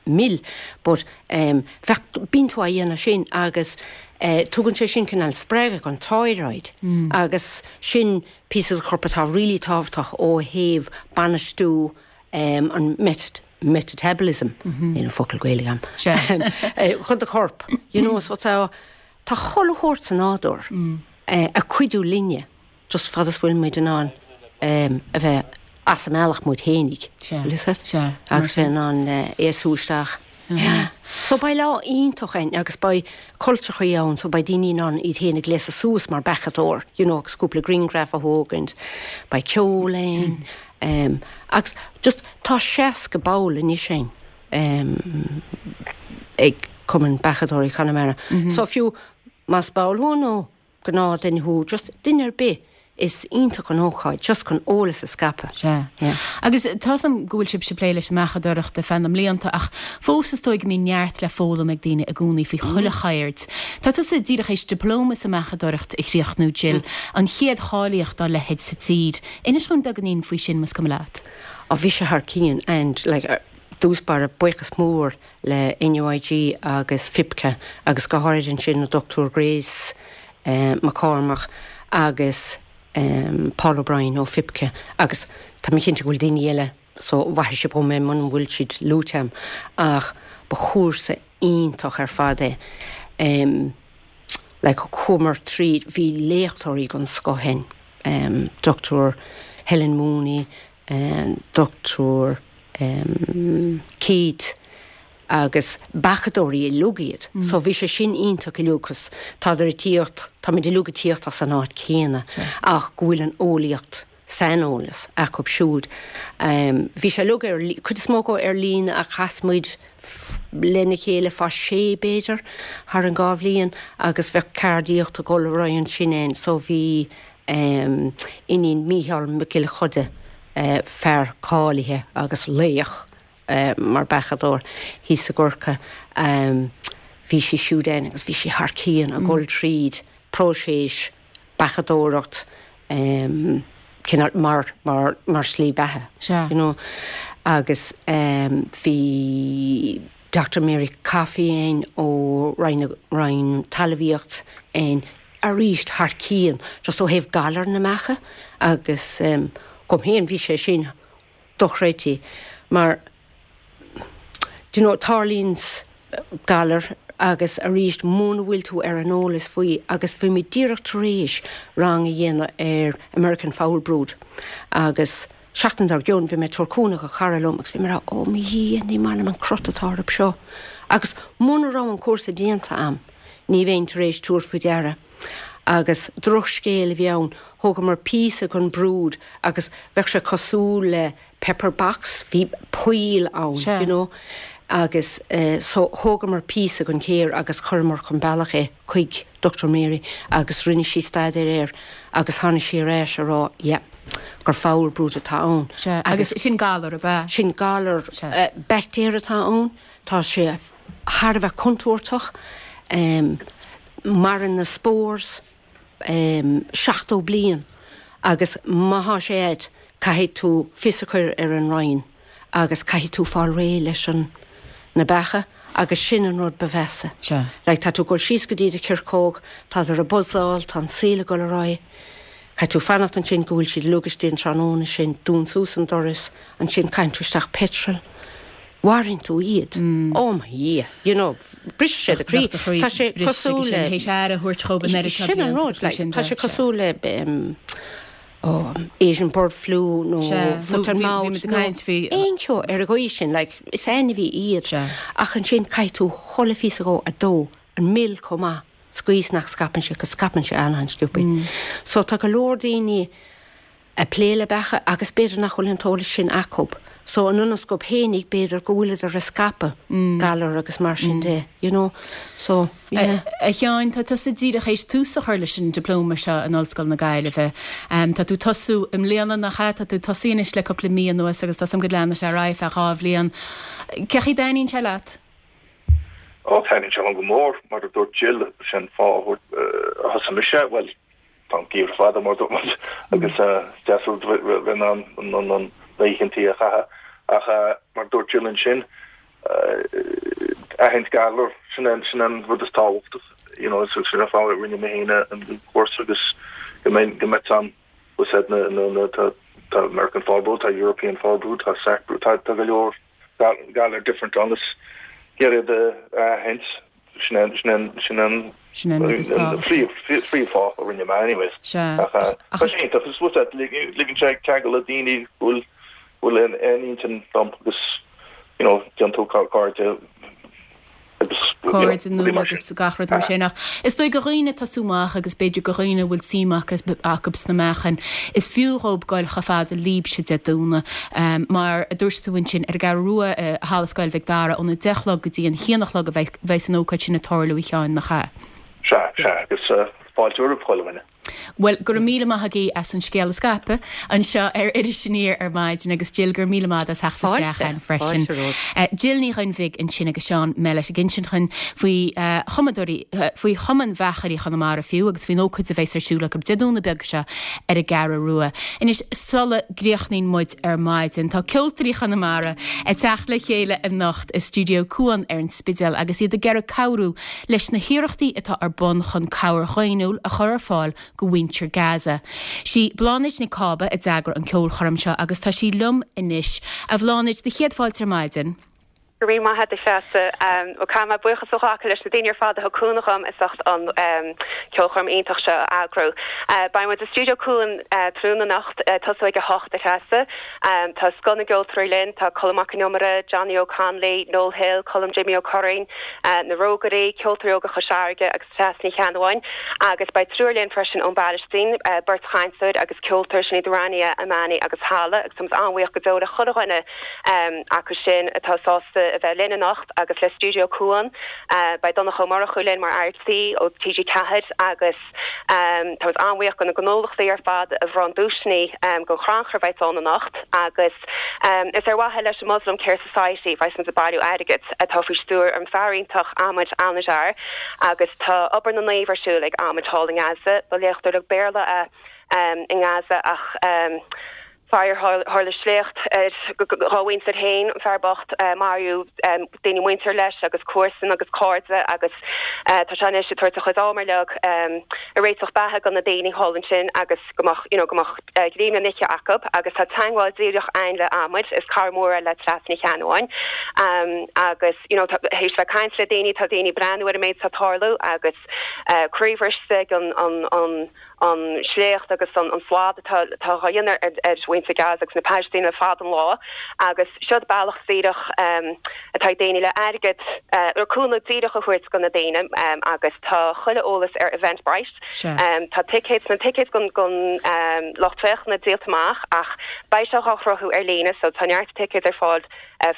mil, but em, bheadh, bíonn tú á dhéanamh sin agus eh, tugann sé sin cineál spreagadh don thyroid agus sin píosa de chorp atá really tábhachtach ó thaobh bainistiú em, an met, metabolism, níl an focal Gaeilge agam, chun do chorp, you know, so tá, tá chuile shórt sa nádúr eh, ag cuidiú linne. just fad is bhfuil muid in ann a bheith as an mbealach muid fhéinig, agus bheith in ann é a sú isteach. So beidh lá iontach againn agus beidh cultrachaí ann so beidh daoine in ann iad féin a ghléasadh suas mar beachadóir, you know, agus cúpla grianghraf a thógaint, beidh ceol ann, agus just tá 60 ball anois againn ag Cumann Beachadóirí Chonamara. So fiú más ball thú nó gnáthdhuine thú, just duine ar bith, is iontach an ócáid just chun eolas a scaipeadh. Sea. Yeah. Agus tá's a'm go bhfuil sibhse ag plé leis an mbeachadóireacht ar feadh na mblianta ach fós is dóigh go mbíonn neart le foghlaim ag daoine i gcónaí faoi chuile cheird. Tá tusa díreach théis dioplóma sa mbeachadóireacht a chríochnú, Jill, an chéad cháilíocht dá leithéid sa tír. Inis dhúinn beagáinín faoi sin más cuma leat. Á bhí sé thar cionn and like dtús báire buíochas mór le NUIG agus FIPCA agus go háirid ansin an Dr Grace McCormack agus Paul O'Brien ó FIPCA agus tá mé cinnte go bhfuil daoine eile so maithfidh sibh dhom é muna bhfuil siad luaite agam ach ba chúrsa iontach ar fad é. Like chuamar tríd, bhí léachtóirí den scoth ann, Dr Helen Mooney, Dr Keith agus beachadóirí uilig iad. So bhí sé sin iontach uilig cos tádar ag tíocht, táimid uilig ag tíocht as an áit céanna ach go bhfuil an eolaíocht, saineolas acu siúd. Bhí sé uilig ar, cuid is mó acu ar líne ach chas muid lena chéile fá sé b'fhéidir thar an dhá bhliain agus bheadh ceardaíocht ag dul ar aghaidh ansin ann so bhí iníon Mícheál Mac Giolla Chuda, fear cáilithe agus laoch mar beachadóir thíos i gCorcaigh, bhí sí siúd ann agus bhí sí thar cionn ag dul tríd próiseas beachadóireacht cineál mar, mar, mar slí beatha, you know. Agus bhí. Doctor Mary Coffey ann ó Roinn na Roinn Talmhaíocht ann arís thar cionn just ó thaobh galar na mbeacha agus dhom féin bhí sé sin dochreidte mar do you know tarlaíonns galar agus arís muna bhfuil tú ar an eolas faoi agus bhí mé díreach tar éis rang a dhéanamh ar American Foulbrood agus Seachtain dár gcionn bhí mé ag tabhairt cúnamh do chara liom agus bhí mé ag rá, Ó mo Dhia, ní maith liom an crot atá orthu seo. Agus muna raibh an cúrsa déanta a'm, ní bheinn tar éis tabhairt faoi deara. Agus drochscéal a bhí ann, thógamar píosa den brood agus bheadh sé cosúil le pepper box, bhí poill ann, you know. Agus so thógamar píosa den chéir agus chuireamar chun bealach é chuig Dr Mary agus rinne sí staidéar air agus tháinig sí ar ais a rá, yeah. gur foulbrood atá ann. Sea, agus sin galar, ab ea? Sin galar, baictéar atá ann, tá sé thar a bheith contúirteach, maireann na spores 70 bliain agus má thá sé a'd caithfidh tú fios a chur ar an Roinn agus caithfidh tú fáil réidh leis an na beacha. Agus sin an rud ba mheasa. Like tá tú ag dul síos go dtí do chirceog, tádar ag buzzáil, tá an saol ag dul ar aghaidh. Caithfidh tú fanacht ansin go bhfuil siad uilig istigh an tráthnóna sin, dún suas an doras, ansin caitheann tú isteach petrol. Mharaíonn tú iad. Oh mo Dhia, you know, briseann sé do chroí. Tá sé cosúil le. Théis aire a thabhairt dhóibh an oiread seo Sin an rud, like, tá sé cosúil le oh, Asian bird flu nó foot and mouth nó aon cheo ar an gcaoi sin, like, is ainmhí iad. Ach ansin caithfidh tú chuile phíosa dhó a dó, an mil chomh maith. Sa gcaoi is nach scaipeann sé, 'cause scaipeann sé an-an-sciobthaí. So tá go leor daoine ag plé le beacha agus b'fhéidir nach bhfuil an t-eolas sin acub. So in ionas gurb fhéinig b'fhéidir go bhfuileadar ag scaipeadh galar agus mar sin de, you know. So, yeah. A Sheáin, tá tusa díreach théis tús a chur leis an dioplóma seo in Ollscoil na Gaillimhe. Tá tú tosú i mbliana, nach ea? Tá tú tosaithe anois le cúpla mí anuas agus tá 's agam go leanfaidh sé ar aghaidh feadh 2 bhliain. Cé chaoi dtaitníonn sé leat? Ó, taitníonn sé liom go mór, mar a dúirt Jill, sin fáth a thosaigh mise, bhuel, tá an geimhreadh fada, mar a dúirt muid, agus is deas rud bheith in ann na oícheantaí a chaitheamh, ach mar a dúirt Jill ansin, aithint galar, sin an rud is tábhachtach, you know, sin an fáth a rinne mé féin an cúrsa agus go mbeidh, go mbeidh an, bhfuil na, na, na, tá American foulbrood, tá European foulbrood, tá sacbrood, tá go leor. galar different ann is iarraidh iad a aithint, sin an, sin an, sin an, Sin an rud is tábhachtaí. phríomhfháth a rinne mé anyways. Sea. Ach tá sé iontach, is rud é, ligeann sé ceangal le daoine go bhfuil, bhfuil aon intinn dom agus you know, déanann tú cairde cairde nua agus gach rud mar sin. Ach is dóigh do dhaoine ag tosú amach agus b'fhéidir do dhaoine a bhfuil suim acu sna meachain, is fiú dhób goil chomh fada libhse Dé Domhnaigh. Mar a dúirt tú ansin, ar an gCeathrú Rua i Halla Scoil Mhic Dara óna deich a chlog go dtí an haon a chlog a bheidh an ócáid sin ag tarlú, a Sheáin, nach ea? Sea, sea, agus fáilte roimh chuile dhuine. Bhuel, go raibh míle maith agaibh as an scéal a scaipeadh anseo ar Iris Aniar ar maidin agus Jill, go raibh míle maith agat as theacht isteach againn freisin. Jill Ní Dhuinnbhigh ansin agus Seán Mellett ag insint dhúinn faoi chumadóirí, faoi Chumann Bheachairí Chonamara fiú agus faoin ócáid a bheas ar siúl acu Dé Domhnaigh beag seo ar an gCeathrú Rua. Anois, sula gcríochnaíonn muid ar maidin, tá Ceoltóirí Chonamara ag teacht le chéile anocht i Stiúideo Cuan ar an Spidéal agus iad ag iarraidh cabhrú leis na hiarrachtaí atá ar bun chun cabhair dhaonnúil a chur ar fáil go mhuintir Gaza. Sí Bláthnaid Nic Cába a d'eagraigh an ceolchoirm seo agus tá sí liom anois. A Bhláthnaid, do chéad fáilte ar maidin. Go raibh míle maith agat, a Threasa. Bhuel, caithfidh mé buíochas a ghlacadh leis na daoine ar fad a thug cúnamh dhom as ucht an ceolchoirm iontach seo a eagrú. Beidh muid i Stiúideo Cuan tráthnóna anocht, tosú ag a hocht, a Threasa. Tá scoth na gceoltóirí linn, tá Colm Mac Con Iomaire, Johnny Óg Connolly, Noel Hill, Colm Jimmy Ó Curraoin, Na Rógairí, Ceoltóirí Óga Chois Fharraige agus Treasa Ní Cheannabháin. Agus beidh triúr linn freisin ón bPailistín, beirt chainteoir agus ceoltóir, sin iad Rania Amani agus Hala agus táimid an-bhuíoch go deo le chuile dhuine acu sin atá sásta a bheith linn anocht agus le Stiúideo Cuan. Beidh Donncha Ó Murchú linn mar fhear tí ó TG4 agus. Táimid an-bhuíoch do na gnólachtaí ar fad a bhronn duaiseanna don chrannchur a bheidh ann anocht agus is ar mhaithe leis an Muslim Care Society a bheas muid ag bailiú airgid atá faoi stiúir an fear iontach Ahmed Al-Najjar agus tá obair na naomh ar siúl ag Ahmed thall i nGaza. Ba léachtóir Béarla é i nGaza ach Faraor, tharla sléacht ar dhá mhuintir féin, an fear bocht, maraíodh daoine muinteartha leis agus comharsain agus cairde agus tá sé anois ag tabhairt a chuid am uilig ag réiteach beatha do na daoine thall ansin agus go mbeadh, you know, go mbeadh greim le n-ithe acu agus tá teagmháil díreach a'inn le Ahmed, is cara mór é le Treasa Ní Cheannabháin agus, you know, théis bheith ag caint le daoine, tá daoine ag breathnú ar an méid atá ag tarlú agus croíbhriste ag an, an, an. an sléacht agus an slad atá á dhéanamh ar mhuintir Gaza agus na Palaistínigh le fada an lá agus seod bealach díreach atá ag daoine le airgead nó cúnamh díreach a thabhairt do na daoine agus tá chuile eolas ar Eventbrite. Tá ticéid, na ticéid don lucht féachana díolta amach ach beidh sé á shruthú ar líne so tá neart ticéid ar fáil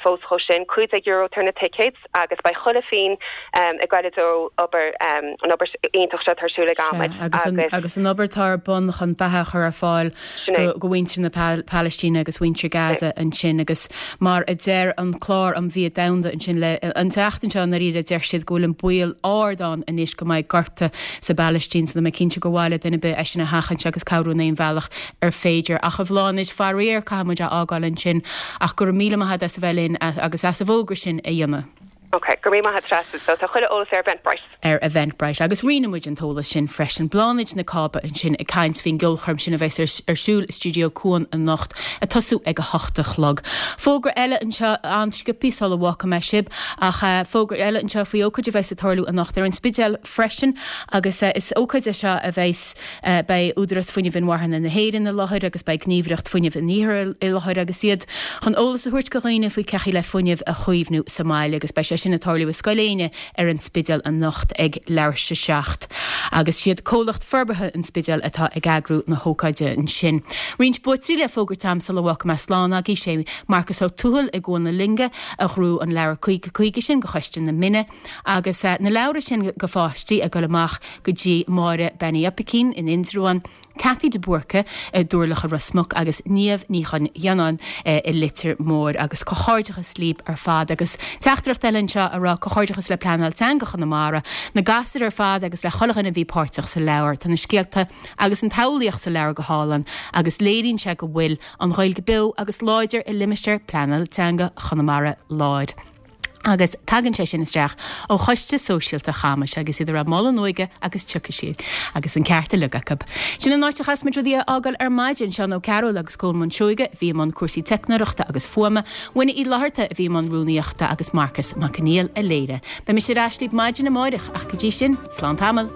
fós dhó sin. €15 atá ar na ticéid agus beidh chuile phingin ag goil i dtreo obair, an obair iontach seo atá ar siúl ag Ahmed agus. Agus an obair atá ar bun chun beatha a chur ar fáil do mhuintir na Palaistíne agus mhuintir Gaza ansin agus mar a deir an Clár um Bhia Domhanda ansin le an tseachtain seo i ndáiríre deir siad go bhfuil an baol ard ann anois go mbeidh gorta sa bPalaistín so tá mé cinnte gur mhaith le duine ar bith é sin a sheachaint agus cabhrú in aon bhealach ar féidir. Ach a Bhláthnaid, faraor, caithfidh muid a fhágáil ansin ach go raibh míle maith agat as a bheith linn agus as an bhfógra sin a dhéanamh. Ok, go raibh míle maith agat Treasa. So tá chuile eolas ar Eventbrite. ar Eventbrite agus roinnfidh muid an t-eolas sin freisin. Bláthnaid Nic Cába ansin ag caint faoin gceolchoirm sin a bheas ar siúl i Stiúideo Cuan anocht, ag tosú ag a hocht a chlog. Fógra eile anseo an-sciobthaí sula bhfágfaidh mé sibh ach fógra eile anseo faoi ócáid a bheas ag tarlú anocht ar an Spidéal freisin agus is ócáid é seo a bheas Beidh Údarás Fuinnimh Inmharthana na hÉireann i láthair agus beidh Gníomhaireacht Fuinnimh an Iarthair i láthair agus iad chun eolas a thabhairt go dhaoine faoi cé chaoi le fuinneamh a chaomhnú sa mbaile agus beidh sé sin ag tarlú i Scoil Éinne ar an Spidéal anocht ag leathuair théis a 7 agus siad Comhlacht Forbartha an Spidéil atá ag eagrú na hócáide ansin. Roinnt buaiteoirí le fógairt a'm sula bhfágfaidh mé slán agaibh, sé Marcas Ó Tuathail i gCuan na Loinge a ghnóthaigh an leabhar 50 50 sin go Choiste na Mine. Agus na leabhra sin go pháistí ag dul amach go dtí Máire Bean Uí Oipicín in Indreabhán, Cathy de Búrca i dTurlach i Ros Muc agus Niamh Ní Chonghianáin i Leitir Móir. Agus comhghairdeachas líb ar fad. Agus teachtaireacht eile anseo a rá comhghairdeachas le Pleanáil Teanga Chonamara, na gasúir ar fad agus le chuile dhuine a bhí páirteach sa leabhar. Tá na scéalta agus an tsamhlaíocht sa leabhar go hálainn agus léiríonn sé go bhfuil an Ghaeilge beo agus láidir i limistéar Pleanáil Teanga Chonamara Láir. Agus tagann sé sin isteach ó Choiste Sóisialta Chamais agus iad ag rá moladh na hóige agus tiocfaidh sí. Agus an ceart uilig acu. Sin an áit a chaithfeas muid rudaí a fhágáil ar maidin. Seán Ó Cearúil agus Colmán Seoige a bhí i mbun cúrsaí teicneoireachta agus fuaime, Muine Uí Fhlatharta a bhí i mbun rúnaíochta agus Marcas Mac Conghail a léirigh. Beidh mise ar ais libh maidin amáireach ach go dtí sin, slán tamall.